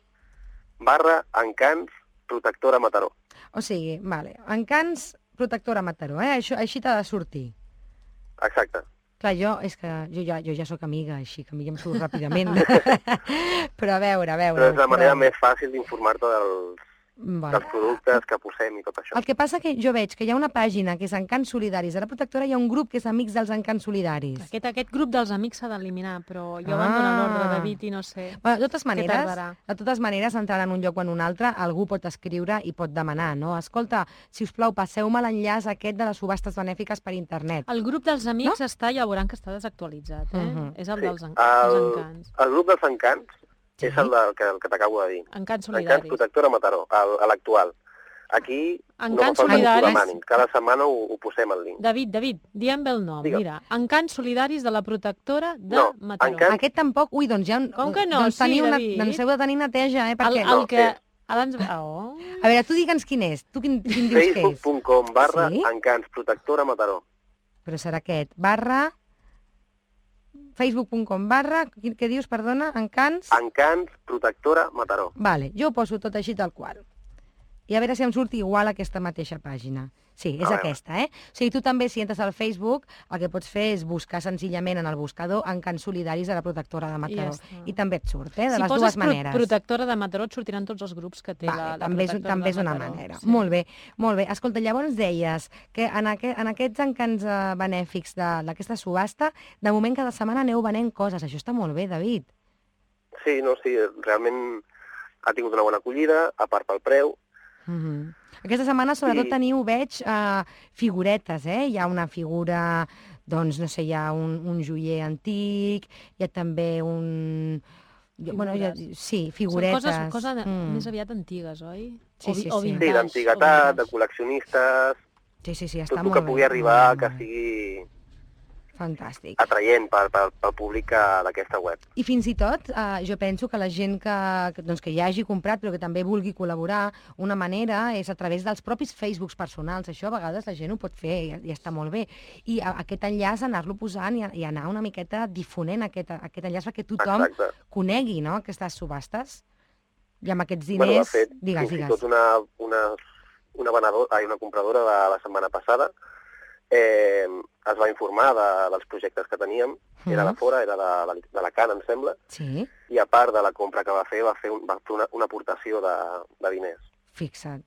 barra encants protectora Mataró. O sigui, vale, encants protectora Mataró, eh? Això, així t'ha de sortir. Exacte. Clar, jo, és que jo ja, jo ja sóc amiga, així que a mi ja em surt ràpidament. Però a veure, a veure... Però és la manera però- més fàcil d'informar-te dels, Vale. dels productes que posem i tot això. El que passa que jo veig que hi ha una pàgina que és Encants Solidaris. A la protectora hi ha un grup que és Amics dels Encants Solidaris. Aquest, aquest grup dels amics s'ha d'eliminar, però jo Ah. abandono l'ordre, David, i no sé. Bueno, de totes maneres, tardarà. de totes maneres, entrant en un lloc o en un altre, algú pot escriure i pot demanar, no? Escolta, si us plau, passeu-me l'enllaç aquest de les subhastes benèfiques per internet. El grup dels amics no? està, ja veuran que està desactualitzat, eh? Uh -huh. És el Sí. dels, en... El, dels encants. el grup dels encants Sí. és el, del, que, el que t'acabo de dir. Encants Encants solidaris. Protectora Mataró, el- a l'actual. aquí Encants no fa falta que ho solidaris. demanin. Cada setmana ho, ho posem al link. David, David, diem bé el nom, Digue'm. mira. Encants solidaris de la protectora de No, Mataró. encants- Aquest tampoc, ui, doncs ja... Com que no? Doncs, Sí, teniu una, David. doncs heu de tenir neteja, eh? El, Perquè... el No, que... és- Abans... Oh. A veure, tu digue'ns quin és. Tu quin, quin dius que és? facebook punt com barra Sí? encants protectora Mataró. Però serà aquest. Barra... facebook punt com barra... Quin- Què dius, perdona? Encants? Encants protectora Mataró. Vale, jo ho poso tot així tal qual. I a veure si em surt igual aquesta mateixa pàgina. Sí, és A veure. aquesta, eh? O sigui, tu també, si entres al Facebook, el que pots fer és buscar senzillament en el buscador Encants solidaris de la protectora de Mataró. I ja està. I també et surt, eh? De Si les poses dues pro maneres. protectora de Mataró et sortiran tots els grups que té Vale, la, la també, és, protectora també de és una Mataró. manera. Sí. Molt bé, molt bé. Escolta, llavors deies que en, aqu en aquests encants eh, benèfics de- d'aquesta subhasta, de moment cada setmana aneu venent coses. Això està molt bé, David. Sí, no, sí, realment ha tingut una bona acollida, a part pel preu. Mm -hmm. Aquesta setmana, sobretot, I- teniu, veig, uh, figuretes, eh? Hi ha una figura, doncs, no sé, hi ha un, un joier antic, hi ha també un... jo- Bueno, hi ha, sí, figuretes. Són coses, coses de, Mm. més aviat antigues, oi? Sí, O vi- sí, o sí. Sí, vintage, d'antiguitat, o de vintage. col·leccionistes, Sí, sí, sí, està tot el molt que bé. pugui arribar molt que bé. sigui Fantàstic. atraient pel, pel, pel públic eh, d'aquesta web. I fins i tot, eh, jo penso que la gent que, que, doncs, que ja hagi comprat però que també vulgui col·laborar, una manera és a través dels propis Facebooks personals. Això a vegades la gent ho pot fer i, i està molt bé. I a, aquest enllaç anar-lo posant i, i anar una miqueta difonent aquest, aquest enllaç perquè tothom Exacte. conegui, no?, aquestes subhastes. I amb aquests Bueno, de diners... fet, digues, fins i digues. tot una, una, una, venedor, ai, una compradora de la setmana passada eh, es va informar de, dels projectes que teníem. Era de Mhm. fora, era de, de, de la Can, em sembla, Sí, i a part de la compra que va fer, va fer, un, va fer una, una aportació de, de diners. fixa't.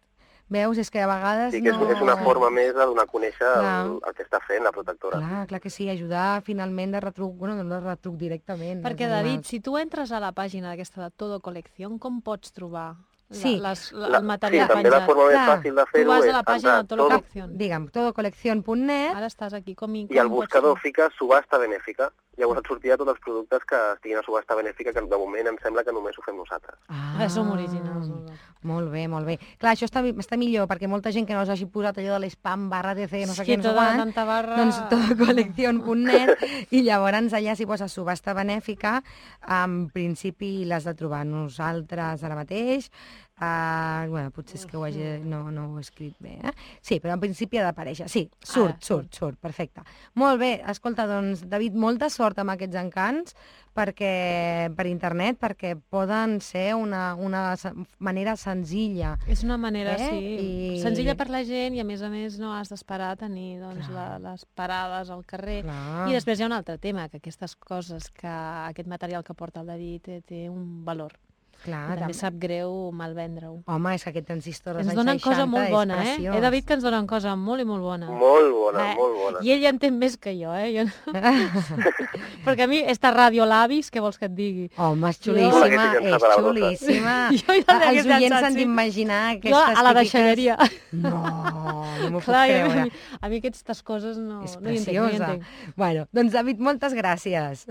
Veus, és que a vegades Sí que és, no... és una forma més de donar a conèixer Clar. el, el que està fent la protectora. Clar, clar que sí, ajudar finalment de retruc, bueno, no de retruc directament. Perquè, als David, animals. si tu entres a la pàgina d'aquesta de Todo Colección, com pots trobar la, Sí. les, la, La, el sí, material també la penjat? forma més Clar. fàcil de Tu fer-ho vas és a la pàgina entrar de Todo tot, Colección. Digue'm, todocolección punt net. Ara estàs aquí com... i i al com pots buscador fer? fica subhasta benèfica. Llavors et sortirà tots els productes que estiguin a subhasta benèfica, que de moment em sembla que només ho fem nosaltres. Ah, Ah, som originals. nosaltres. Molt bé, molt bé. Clar, això està, està millor, perquè molta gent que no us hagi posat allò de l'espam barra D C, no sé Sí, què, no sé tota quant, tanta barra... doncs todocolección punt net, i llavors allà si poses subhasta benèfica, en principi l'has de trobar nosaltres ara mateix. Uh, bueno, potser és que ho hagi, no, no ho he escrit bé, eh? Sí, però en principi ha d'aparèixer. Sí, surt, Ara, surt, surt, perfecte. Molt bé, escolta, doncs, David, molta sort amb aquests encants perquè, per internet, perquè poden ser una, una se- manera senzilla. És una manera, Eh? sí, I- senzilla per la gent i, a més a més, no has d'esperar a tenir doncs, la, les parades al carrer. Clar. I després hi ha un altre tema, que aquestes coses, que aquest material que porta el David té, té un valor. Clar, I també tam- sap greu malvendre-ho. Home, és que aquest transistor dels Ens anys donen cosa seixanta molt és bona, eh? preciós. He de dir que ens donen cosa molt i molt bona. Molt bona, Eh, molt bona. I ell ja entén més que jo, eh? Jo no... Perquè a mi, esta ràdio Labis, què vols que et digui? Home, és Tu xulíssima, l'haguessis és llançat a la brossa. xulíssima. Jo ja l'hagués Els oients llançat, s'han sí. d'imaginar Jo aquestes a la típiques... deixalleria. No, no m'ho puc Clar, i a creure. mi, a mi aquestes coses no, És no hi entenc, no hi preciosa. entenc. Bueno, doncs David, moltes gràcies.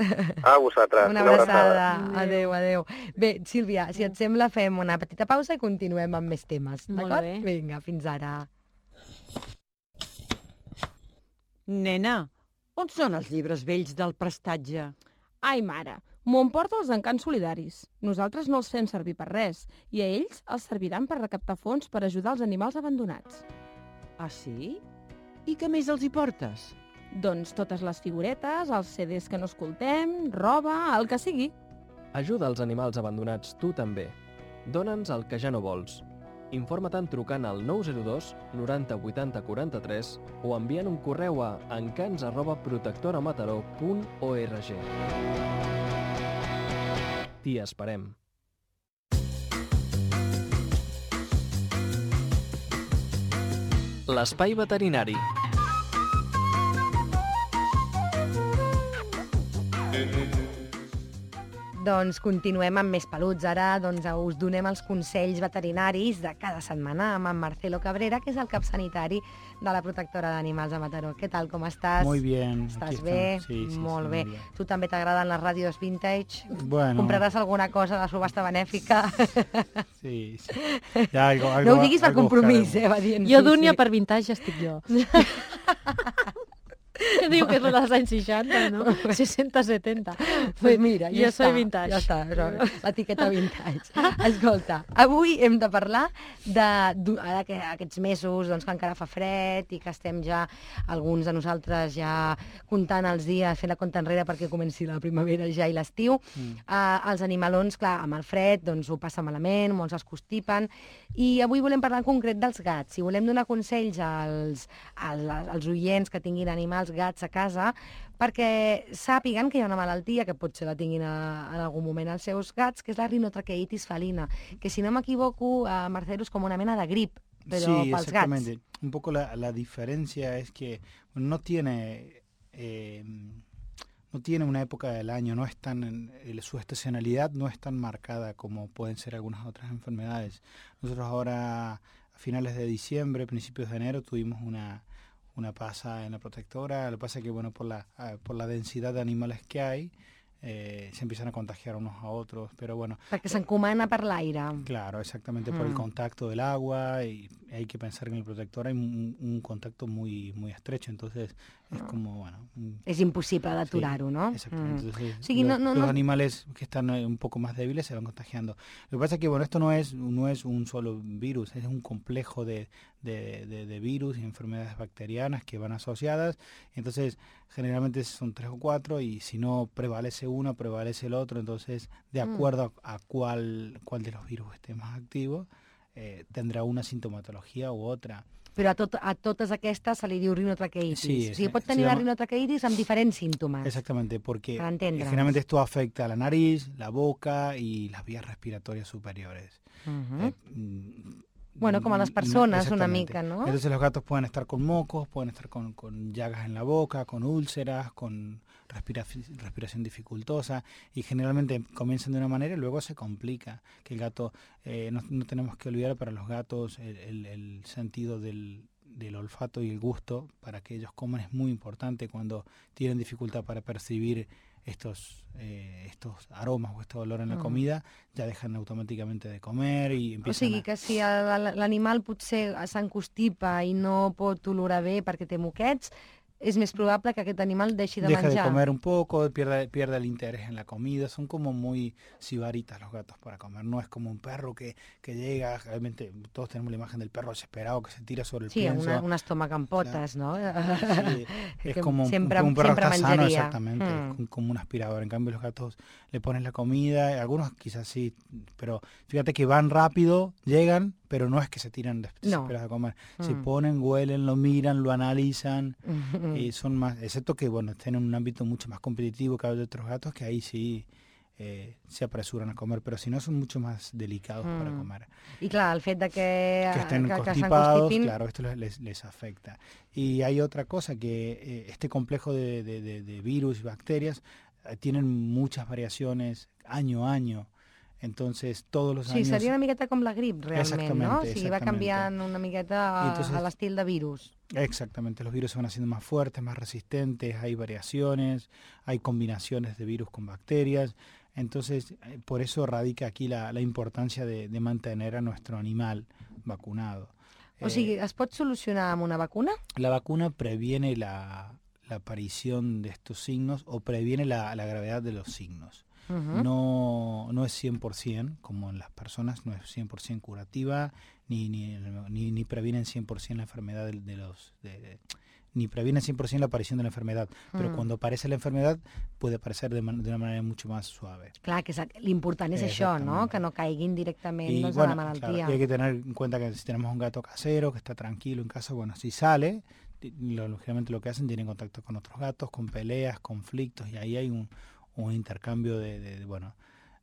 A vosaltres, Una abraçada. Adéu, adéu. Bé, Sílvia, si et sembla, fem una petita pausa i continuem amb més temes. Molt D'acord? bé. Vinga, fins ara. Nena, on són els llibres vells del prestatge? Ai, mare, m'ho emporta els encants solidaris. Nosaltres no els fem servir per res i a ells els serviran per recaptar fons per ajudar els animals abandonats. Ah, sí? I què més els hi portes? Doncs totes les figuretes, els C Ds que no escoltem, roba, el que sigui. Ajuda els animals abandonats tu també. Dóna'ns el que ja no vols. Informa-te'n trucant al nou zero dos noranta vuitanta quaranta-tres o enviant un correu a encants arroba protectoramataró punt org. T'hi esperem. L'espai veterinari. Doncs continuem amb més peluts. Ara doncs, us donem els consells veterinaris de cada setmana amb en Marcelo Cabrera, que és el cap sanitari de la protectora d'animals a Mataró. Què tal, com estàs? Muy bien. Estàs bé? Sí, sí, Molt sí, bé. muy bien. Tu també t'agraden les ràdios vintage? Bueno. Compraràs alguna cosa de la subhasta benèfica? Sí, sí. Ja, algo, algo, no ho diguis per compromís, eh, va dient. Jo sí, d'Únia sí. per vintage estic jo. Que diu que és dels anys seixanta, no? seixanta setanta. Pues mira, ja jo està, soy vintage. ja està, l'etiqueta vintage. Escolta, avui hem de parlar de, ara que aquests mesos doncs, que encara fa fred i que estem ja, alguns de nosaltres ja comptant els dies, fent la compta enrere perquè comenci la primavera ja i l'estiu. Mm. Uh, els animalons, clar, amb el fred doncs, ho passa malament, molts es constipen, i avui volem parlar en concret dels gats. Si volem donar consells als, als, als oients que tinguin animals, gats a casa, perquè sàpiguen que hi ha una malaltia que potser la tinguin a, en algun moment els seus gats, que és la rinotraqueitis felina, que si no m'equivoco, a Marcelo, és com una mena de grip, però sí, pels exactamente. gats. Un poco la, la diferencia es que no tiene eh, no tiene una época del año, no es tan, eh, su estacionalidad no es tan marcada como pueden ser algunas otras enfermedades. Nosotros ahora, a finales de diciembre, principios de enero, tuvimos una una pasa en la protectora. Lo que pasa es que, bueno, por la, por la densidad de animales que hay, eh, se empiezan a contagiar unos a otros, pero bueno. Perquè s'encomana per l'aire. Claro, exactamente, mm. por el contacto del agua, y hay que pensar que en el protector hay un, un contacto muy muy estrecho, entonces es como, bueno... Un, és impossible d'aturar-ho, sí, no? Exactamente, Mm. entonces o sigui, los, no, no, los no... animales que están un poco más débiles se van contagiando. Lo que pasa es que, bueno, esto no es, no es un solo virus, es un complejo de, de, de, de virus y enfermedades bacterianas que van asociadas, entonces generalmente son tres o cuatro, y si no prevalece uno, prevalece el otro, entonces de acuerdo mm. a, a cuál, cuál de los virus esté más activo, eh, tendrà una sintomatologia u otra. Però a, tot, a totes aquestes se li diu rinotraqueitis. Sí, o sigui, pot tenir la rinotraqueitis amb diferents síntomas. Exactamente, porque generalmente esto afecta a la nariz, la boca y las vías respiratorias superiores. Uh-huh. eh, Bueno, como a las personas, una mica, ¿no? Entonces los gatos pueden estar con mocos, pueden estar con, con llagas en la boca, con úlceras, con respira, respiración dificultosa, y generalmente comienzan de una manera y luego se complica. Que el gato, eh, no, no tenemos que olvidar para los gatos el, el, el sentido del, del olfato y el gusto para que ellos coman es muy importante. Cuando tienen dificultad para percibir estos eh, estos aromas o este olor en la comida, ja dejan automàticamente de comer i empiezan... O sigui, que si l'animal potser s'encostipa i no pot olorar bé perquè té moquets, es més probable que aquest animal deixi de Deja manjar. Deja de comer un poco, pierde, pierde el interés en la comida. Son como muy sibaritas los gatos para comer. No es como un perro que, que llega, realmente todos tenemos la imagen del perro desesperado que se tira sobre el sí, pienso. Sí, una, un estómac amb potes, claro. ¿no? Sí, es como un, siempre, un perro está sano, exactamente, mm. como un aspirador. En cambio los gatos le pones la comida, algunos quizás sí, pero fíjate que van rápido, llegan, pero no es que se tiran desesperados no. a comer. Mm. Se ponen, huelen, lo miran, lo analizan. Mm. Y son más, excepto que bueno, estén en un ámbito mucho más competitivo que hay de otros gatos, que ahí sí eh, se apresuran a comer, pero si no son mucho más delicados mm. para comer. Y claro, el fet de que, que estén que, constipados, que claro, esto les, les afecta. Y hay otra cosa, que eh, este complejo de, de, de, de virus y bacterias eh, tienen muchas variaciones año a año. Entonces, todos los sí, años... Sí, seria una miqueta com la grip, realment, no? O sigui, va canviant una miqueta Entonces, a l'estil de virus. Exactamente, los virus se van haciendo más fuertes, más resistentes, hay variaciones, hay combinaciones de virus con bacterias. Entonces, por eso radica aquí la, la importancia de, de mantener a nuestro animal vacunado. O sigui, eh, ¿es pot solucionar amb una vacuna? La vacuna previene la, la aparición de estos signos o previene la, la gravedad de los signos. Uh-huh. No, no es cien por ciento, como en las personas, no es cien por ciento curativa, ni, ni, ni, ni previenen cien por ciento la enfermedad de, de los... De, de, ni previene cien por ciento la aparición de la enfermedad, mm. pero cuando aparece la enfermedad puede aparecer de, man, de una manera mucho más suave. Clar, que l'important és això, no? Que no caiguin directament y, doncs, bueno, a la malaltia. Claro, y hay que tener en cuenta que si tenemos un gato casero que está tranquilo en casa, bueno, si sale, lo, lógicamente lo que hacen, tienen contacto con otros gatos, con peleas, conflictos, y ahí hay un, un intercambio de, de, de bueno,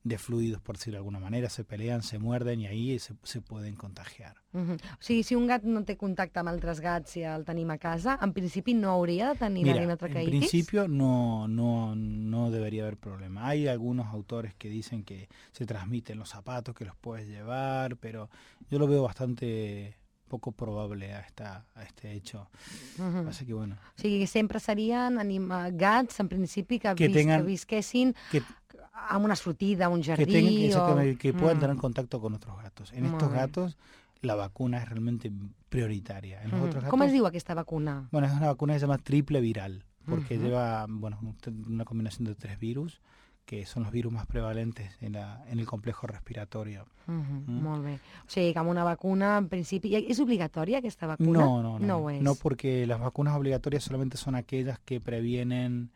de fluidos, por decirlo de alguna manera, se pelean, se muerden y ahí se, se pueden contagiar. Uh-huh. O sigui, si un gat no té contacte amb altres gats i el tenim a casa, en principi no hauria de tenir la rinotraqueitis? En principio no, no, no debería haber problema. Hay algunos autores que dicen que se transmiten los zapatos, que los puedes llevar, pero yo lo veo bastante poco probable a, esta, a este hecho. Uh-huh. Así que bueno. O sigui, sempre serien anima, gats, en principi, que, que, vis, tengan, que visquessin... Que, amb una sortida, un jardí... Que, tengan, exactamente, o... que puedan mm. tener contacto con otros gatos. En Muy estos bien. gatos la vacuna es realmente prioritaria. En los mm. otros gatos, ¿Cómo es diu aquesta vacuna? Bueno, es una vacuna que se llama triple viral, porque uh-huh. lleva bueno, una combinación de tres virus, que son los virus más prevalentes en, la, en el complejo respiratorio. Uh-huh. Mm. Molt bé. O sigui, que amb una vacuna, en principi... ¿Es obligatoria aquesta vacuna? No, no, no. No, no, no porque las vacunas obligatorias solamente son aquellas que previenen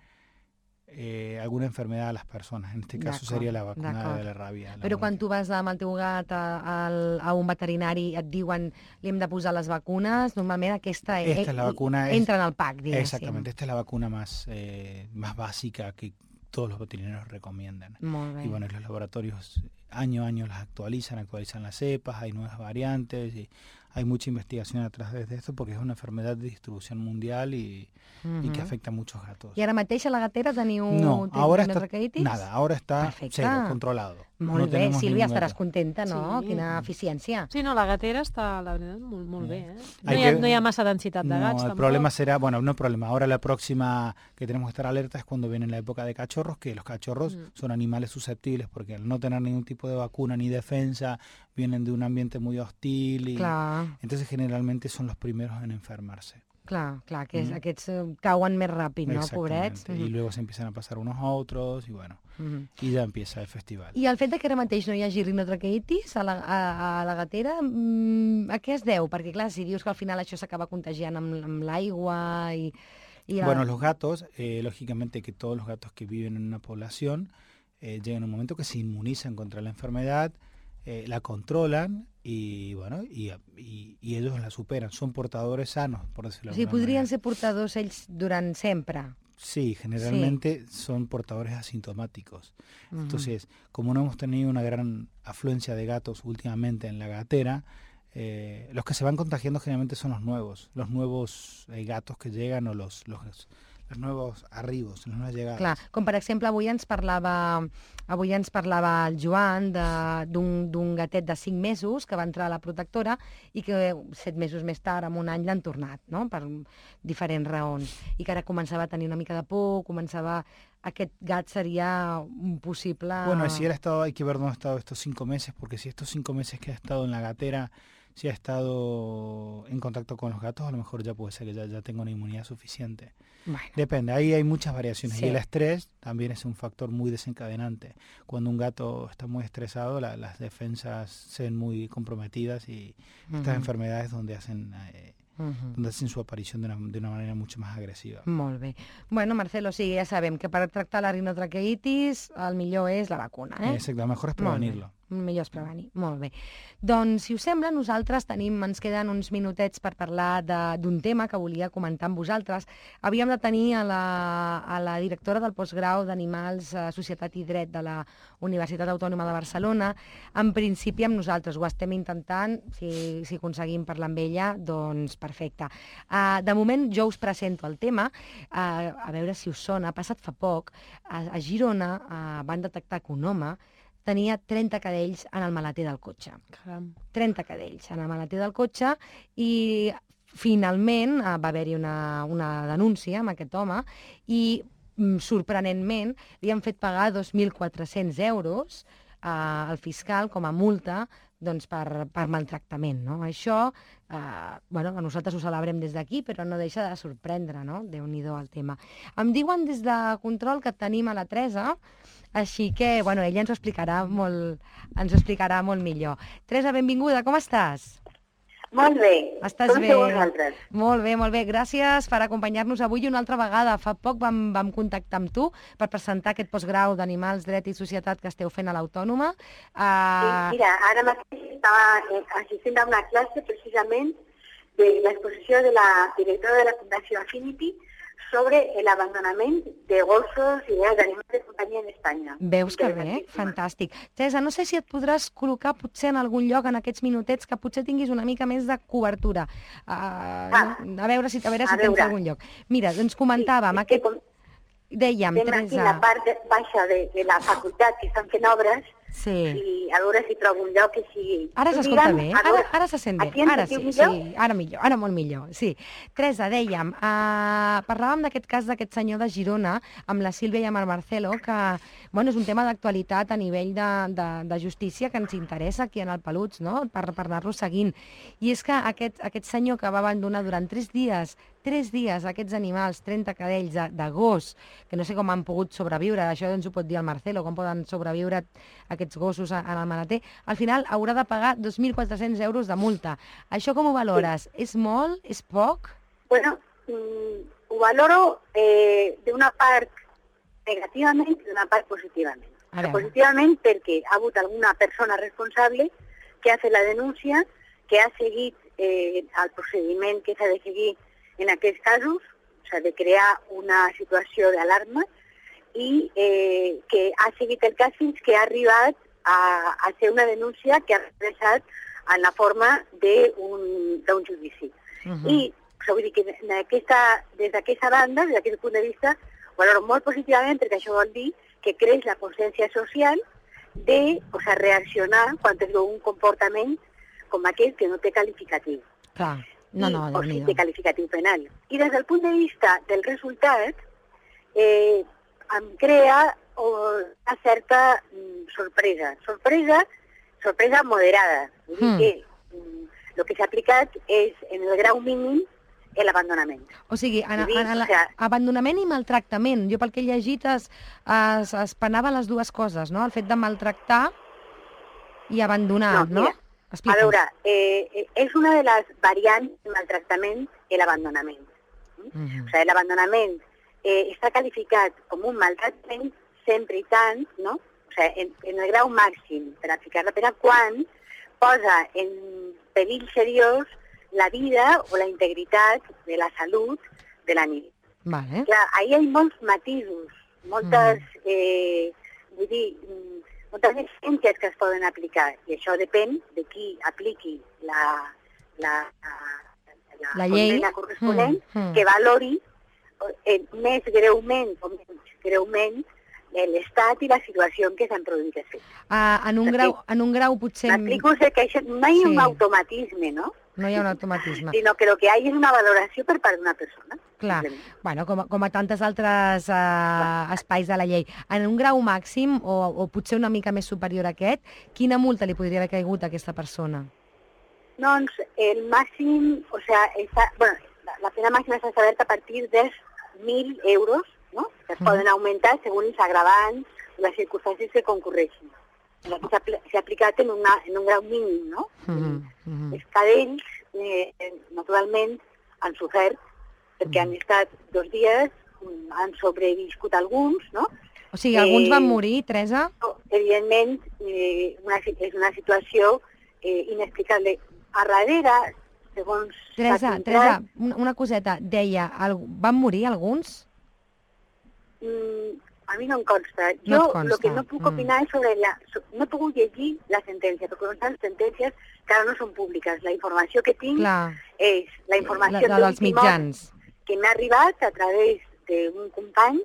Eh, alguna enfermedad a las personas. En este caso sería la vacuna de la ràbia. Però quan tu vas amb el teu gat a, a, a un veterinari et diuen li hem de posar les vacunes, normalment aquesta esta es la vacuna entra es, en el pack, diguéssim. Exactamente, esta es la vacuna más, eh, más básica que todos los veterinarios recomiendan. Molt bé. Y bueno, los laboratorios año a año las actualizan, actualizan las cepas, hay nuevas variantes y hay mucha investigación atrás de esto porque es una enfermedad de distribución mundial y, uh-huh. y que afecta a muchos gatos. ¿Y ahora mateix a la gatera teniu no, ahora está, nada, ahora está cero, controlado. Molt no bé, Sílvia, estaràs contenta, no? Sí. Quina eficiència. Sí, no, la gatera està, la veritat, molt, molt bé, eh? No hi, ha, no hi ha massa densitat de no, gats, el tampoc. problema será, bueno, no problema, ahora la próxima que tenemos que estar alerta es cuando viene la época de cachorros, que los cachorros mm. son animales susceptibles porque al no tener ningún tipo de vacuna ni defensa, vienen de un ambiente muy hostil y Clar. entonces generalmente son los primeros en enfermarse. Clar, clar, que mm. aquests cauen més ràpid, no, pobrets? Y luego se empiezan a pasar unos a otros y bueno, mm. y ya empieza el festival. I el fet de que ara mateix no hi hagi rinotraqueitis a la, a, a la gatera, mmm, a què es deu? Perquè clar, si dius que al final això s'acaba contagiant amb, amb l'aigua i... y la... Bueno, los gatos, eh, lógicamente que todos los gatos que viven en una población eh, llegan a un momento que se inmunizan contra la enfermedad, eh, la controlan y bueno y, y, y ellos la superan, son portadores sanos, por decirlo de alguna manera. O sigui, podrien manera. ser portadors ells durant sempre? Sí, generalmente sí. son portadores asintomáticos. Uh-huh. Entonces, como no hemos tenido una gran afluencia de gatos últimamente en la gatera, eh, los que se van contagiando generalmente son los nuevos, los nuevos eh, gatos que llegan o los... los los nuevos arribos, les nuevas llegades. Clar, com per exemple avui ens parlava avui ens parlava el Joan d'un gatet de cinc mesos que va entrar a la protectora i que set mesos més tard, en un any, l'han tornat, no? Per diferents raons. I que ara començava a tenir una mica de por, començava... Aquest gat sería un posible... Bueno, si él ha estado, hay que ver dónde ha estado estos cinco meses, porque si estos cinco meses que ha estado en la gatera, si ha estado en contacto con los gatos, a lo mejor ya puede ser que ya, ya tenga una inmunidad suficiente. Bueno. Depende, ahí hay muchas variaciones. Sí. Y el estrés también es un factor muy desencadenante. Cuando un gato está muy estresado, la, las defensas se ven muy comprometidas y uh-huh. estas enfermedades donde hacen... Eh, Uh-huh. donde hacen su aparición de una, de una manera mucho más agresiva. Molt bé. Bueno, Marcelo, sí, ja sabem que per tractar la rinotraqueitis el millor és la vacuna, eh? Exacte, el mejor és prevenir-lo. Millor és prevenir, molt bé. Doncs, si us sembla, nosaltres tenim, ens queden uns minutets per parlar d'un tema que volia comentar amb vosaltres. Havíem de tenir a la, a la directora del postgrau d'Animals, Societat i Dret de la Universitat Autònoma de Barcelona. En principi, amb nosaltres ho estem intentant, si, si aconseguim parlar amb ella, doncs perfecte. Uh, de moment, jo us presento el tema, uh, a veure si us sona. Ha passat fa poc, a, a Girona uh, van detectar que un home tenia trenta cadells en el maleter del cotxe. Caram. trenta cadells en el maleter del cotxe i finalment uh, va haver-hi una, una denúncia amb aquest home i mm, sorprenentment li han fet pagar dos mil quatre-cents euros uh, al fiscal com a multa doncs, per, per maltractament. No? Això, eh, bueno, nosaltres ho celebrem des d'aquí, però no deixa de sorprendre, no? Déu-n'hi-do el tema. Em diuen des de control que tenim a la Teresa, així que, bueno, ella ens ho explicarà molt, ens ho explicarà molt millor. Teresa, benvinguda, com estàs? Molt bé. Estàs com bé? Com vosaltres? Molt bé, molt bé. Gràcies per acompanyar-nos avui una altra vegada. Fa poc vam, vam contactar amb tu per presentar aquest postgrau d'Animals, Dret i Societat que esteu fent a l'Autònoma. Uh... Sí, mira, ara mateix estava assistint a una classe precisament de l'exposició de la directora de la Fundació Affinity sobre el abandonament de gossos i d'animals de companyia en Espanya. Veus que bé? Fantàstic. Teresa, no sé si et podràs col·locar potser en algun lloc en aquests minutets que potser tinguis una mica més de cobertura. Uh, ah, no? A veure si, a veure si a tens veure. algun lloc. Mira, doncs comentàvem... Sí, aquest... com... Dèiem, Teresa... Estem aquí la part baixa de, de la facultat que estan fent obres, sí. I a veure si trobo un lloc que sigui... Ara s'escolta bé, ara, ara se sent bé, ara sí, millor? sí, ara millor, ara molt millor, sí. Teresa, dèiem, uh, parlàvem d'aquest cas d'aquest senyor de Girona, amb la Sílvia i amb el Marcelo, que bueno, és un tema d'actualitat a nivell de, de, de justícia que ens interessa aquí en el Peluts, no? per, per anar-lo seguint. I és que aquest, aquest senyor que va abandonar durant tres dies, tres dies aquests animals, trenta cadells de, de gos, que no sé com han pogut sobreviure, això ens ho pot dir el Marcelo, com poden sobreviure aquests gossos en el manater, al final haurà de pagar dos mil quatre-cents euros de multa. Això com ho valores? Sí. És molt? És poc? Bueno, mm, ho valoro eh, d'una part negativament i d'una part positivament. Positivament perquè ha hagut alguna persona responsable que ha fet la denúncia, que ha seguit eh, el procediment que s'ha de seguir en aquests casos, s'ha de crear una situació d'alarma i eh, que ha seguit el cas fins que ha arribat a, a ser una denúncia que ha expressat en la forma d'un judici. Uh -huh. I o sigui, vull dir que aquesta, des d'aquesta banda, des d'aquest punt de vista, valoro molt positivament perquè això vol dir que creix la consciència social de o sigui, reaccionar quan es veu un comportament com aquest que no té qualificatiu. Clar. No, no, o sigui, de qualificatiu penal. I des del punt de vista del resultat, eh, em crea oh, una certa mm, sorpresa. Sorpresa, sorpresa moderada. Vull dir mm. que mm, el que s'ha aplicat és, en el grau mínim, l'abandonament. O sigui, en, en, en, en o sea, abandonament i maltractament. Jo pel que he llegit es, es, es penava les dues coses, no? El fet de maltractar i abandonar, no? no? Mira, a veure, eh, és una de les variants de maltractament l'abandonament. Mm? Uh-huh. O sigui, l'abandonament eh, està qualificat com un maltractament sempre i tant, no? O sigui, en, en el grau màxim per aplicar la pena quan posa en perill seriós la vida o la integritat de la salut de l'animal. Vale. Clar, ahí hi ha molts matisos, moltes, mm. eh, vull dir, moltes exigències que es poden aplicar, i això depèn de qui apliqui la, la, la, la llei corresponent, mm. Mm. que valori eh, més greument o menys greument l'estat i la situació en què s'han produït els fets. Uh, en, un grau, en un grau potser... M'explico que això, no hi ha sí. un automatisme, no? No hi ha un automatisme. Sinó que el que hi ha és una valoració per part d'una persona. Clar, bueno, com, com a tantes altres uh, espais de la llei. En un grau màxim, o, o potser una mica més superior a aquest, quina multa li podria haver caigut a aquesta persona? Doncs el màxim, o sigui, està, bueno, la pena màxima s'ha establert a partir dels mil euros, no? Que es poden augmentar segons els agravants i les circumstàncies que concorreixin. S'ha aplicat en, una, en un grau mínim, no? Uh-huh, uh-huh. Els cadells, eh, naturalment, han sofert, perquè uh-huh. han estat dos dies, han sobreviscut alguns, no? O sigui, alguns eh, van morir, Teresa? No, evidentment, eh, una, és una situació eh, inexplicable. A darrere, segons... Teresa, Teresa, una coseta, deia, van morir alguns? Mm, a mi no em consta. Jo el no que no puc opinar mm. és sobre la... No he pogut llegir la sentència, perquè les sentències que ara no són públiques. La informació que tinc Clar. és la informació la, la dels mitjans que m'ha arribat a través d'un company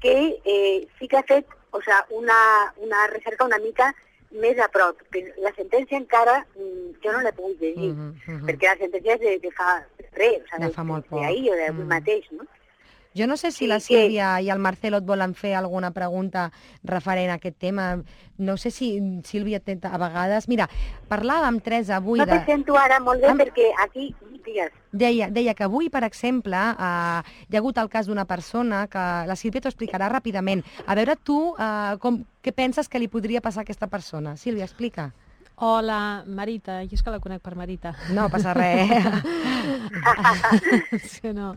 que eh, sí que ha fet o sea, una, una recerca una mica més a prop. La sentència encara mm, jo no l'he pogut llegir, uh -huh, uh -huh. perquè la sentència és de, de fa res, o sea, de fa molt poc. D'ahir o d'avui mm. mateix, no? Jo no sé si sí, la Sílvia que... i el Marcelo et volen fer alguna pregunta referent a aquest tema. No sé si, Sílvia, a vegades... Mira, parlàvem, Teresa, avui... No te de... sento ara molt bé Am... perquè aquí... Digues. Deia, deia que avui, per exemple, eh, hi ha hagut el cas d'una persona que la Sílvia t'ho explicarà ràpidament. A veure, tu, eh, com, què penses que li podria passar a aquesta persona? Sílvia, explica. Hola, Marita. Jo és que la conec per Marita. No passa res. Sí, no.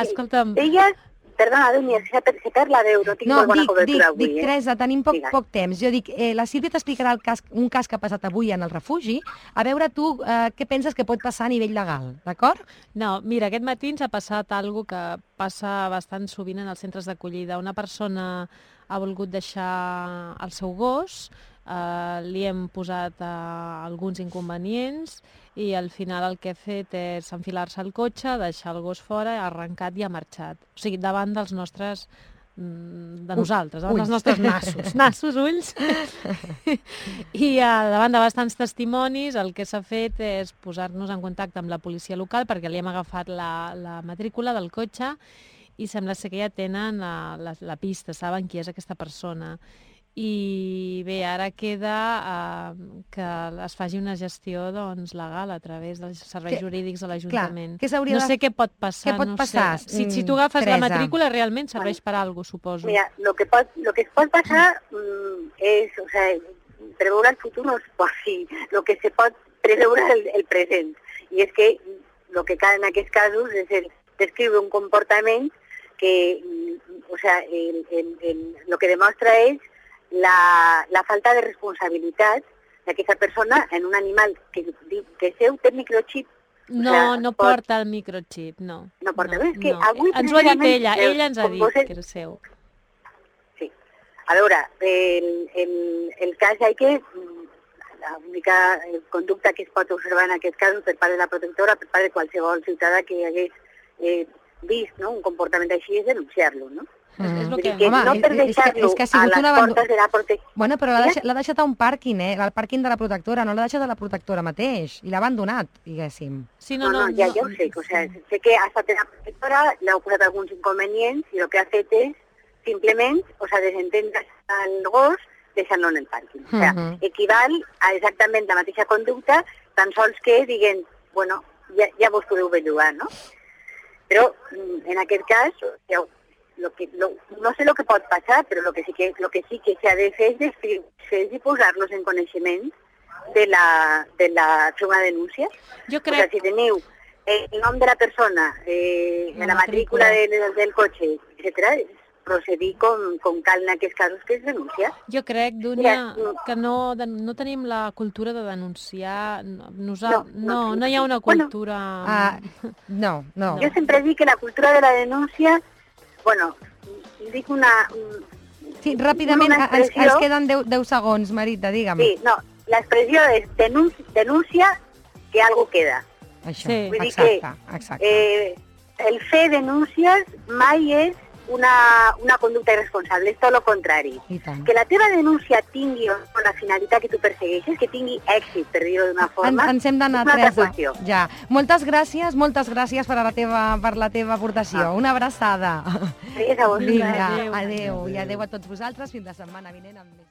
Escolta'm... Deies, Perdona, Dúnia, se perd la veu, no tinc no, molt bona dic, cobertura dic, avui. Dic, eh? Teresa, tenim poc, Digues. poc temps. Jo dic, eh, la Sílvia t'explicarà el cas, un cas que ha passat avui en el refugi. A veure tu eh, què penses que pot passar a nivell legal, d'acord? No, mira, aquest matí ens ha passat algo que passa bastant sovint en els centres d'acollida. Una persona ha volgut deixar el seu gos, eh, li hem posat eh, alguns inconvenients i al final el que ha fet és enfilar-se al cotxe, deixar el gos fora, ha arrencat i ha marxat. O sigui, davant dels nostres... de nosaltres, davant dels nostres nassos. Nassos, ulls. I uh, davant de bastants testimonis el que s'ha fet és posar-nos en contacte amb la policia local perquè li hem agafat la, la matrícula del cotxe i sembla ser que ja tenen uh, la, la pista, saben qui és aquesta persona. I bé, ara queda uh, que es faci una gestió doncs, legal a través dels serveis que, jurídics de l'Ajuntament. No sé què pot passar. Què pot no passar? Sé. Si, si tu agafes Teresa. La matrícula, realment serveix per alguna cosa, suposo. Mira, lo que, pot, lo que es pot passar mm, és, o sea, preveure el futur no es pot, sí, lo que se pot preveure el, el present. I és que lo que cal en aquests casos és el, descriure un comportament que, o sea, el, el, el, lo que demostra és La, la falta de responsabilitat d'aquesta persona en un animal que, que seu té microchip. No, o sea, no pot... porta el microchip, no. No porta, no, és que no. avui... Ens ho ha dit ella, ella ens ha dit vos... que era seu. Sí. A veure, el, el, el cas hi que l'única conducta que es pot observar en aquest cas per part de la protectora, per part de qualsevol ciutadà que hagués eh, vist no, un comportament així, és denunciar-lo, no? Mm. És, és que... que Home, no per deixar-lo a les una portes de la protectora. Bueno, però l'ha deixat, deixat a un pàrquing, eh? Al pàrquing de la protectora, no l'ha deixat a la protectora mateix. I l'ha abandonat, diguéssim. Sí, no, no, no, no, ja, ja ho sé. O sea, sé que ha estat en la protectora, li ha posat alguns inconvenients i el que ha fet és simplement, o sea, desentendre el gos deixant-lo en el pàrquing. O sea, uh-huh. equival a exactament la mateixa conducta, tan sols que diguen, bueno, ja, ja vos podeu bellugar, no? Però en aquest cas, ja ho Lo que, lo, no sé lo que pot passar, però lo que sí que, lo que, sí que s'ha de fer és descriure i posar-los en coneixement de la, de la fer una denúncia. Jo crec... O sea, si teniu el nom de la persona, eh, la, la matrícula, matrícula del, del cotxe, etcètera, procedir com, com cal en aquests casos que es denuncia. Jo crec, Dúnia, que no, no tenim la cultura de denunciar. Nosa... No, no, no, no hi ha una cultura... Bueno, uh, no, no. Jo sempre dic que la cultura de la denúncia... Bueno, dic una... Sí, ràpidament, una ens, ens queden deu segons, Marita, digue'm. Sí, no, l'expressió és denúncia, denúncia que algo queda. Això, sí, Vull exacte, dir que, exacte. Eh, el fer denúncies mai és una, una conducta irresponsable, és tot el contrari. Que la teva denúncia tingui la finalitat que tu persegueixes, que tingui èxit, per dir-ho d'una forma, en, ens hem d'anar, Teresa. Ja. Moltes gràcies, moltes gràcies per la teva, per la teva aportació. Ah. Una abraçada. Gràcies a vosaltres. Vinga, adéu. adéu. I adéu a tots vosaltres. Fins la setmana vinent amb més...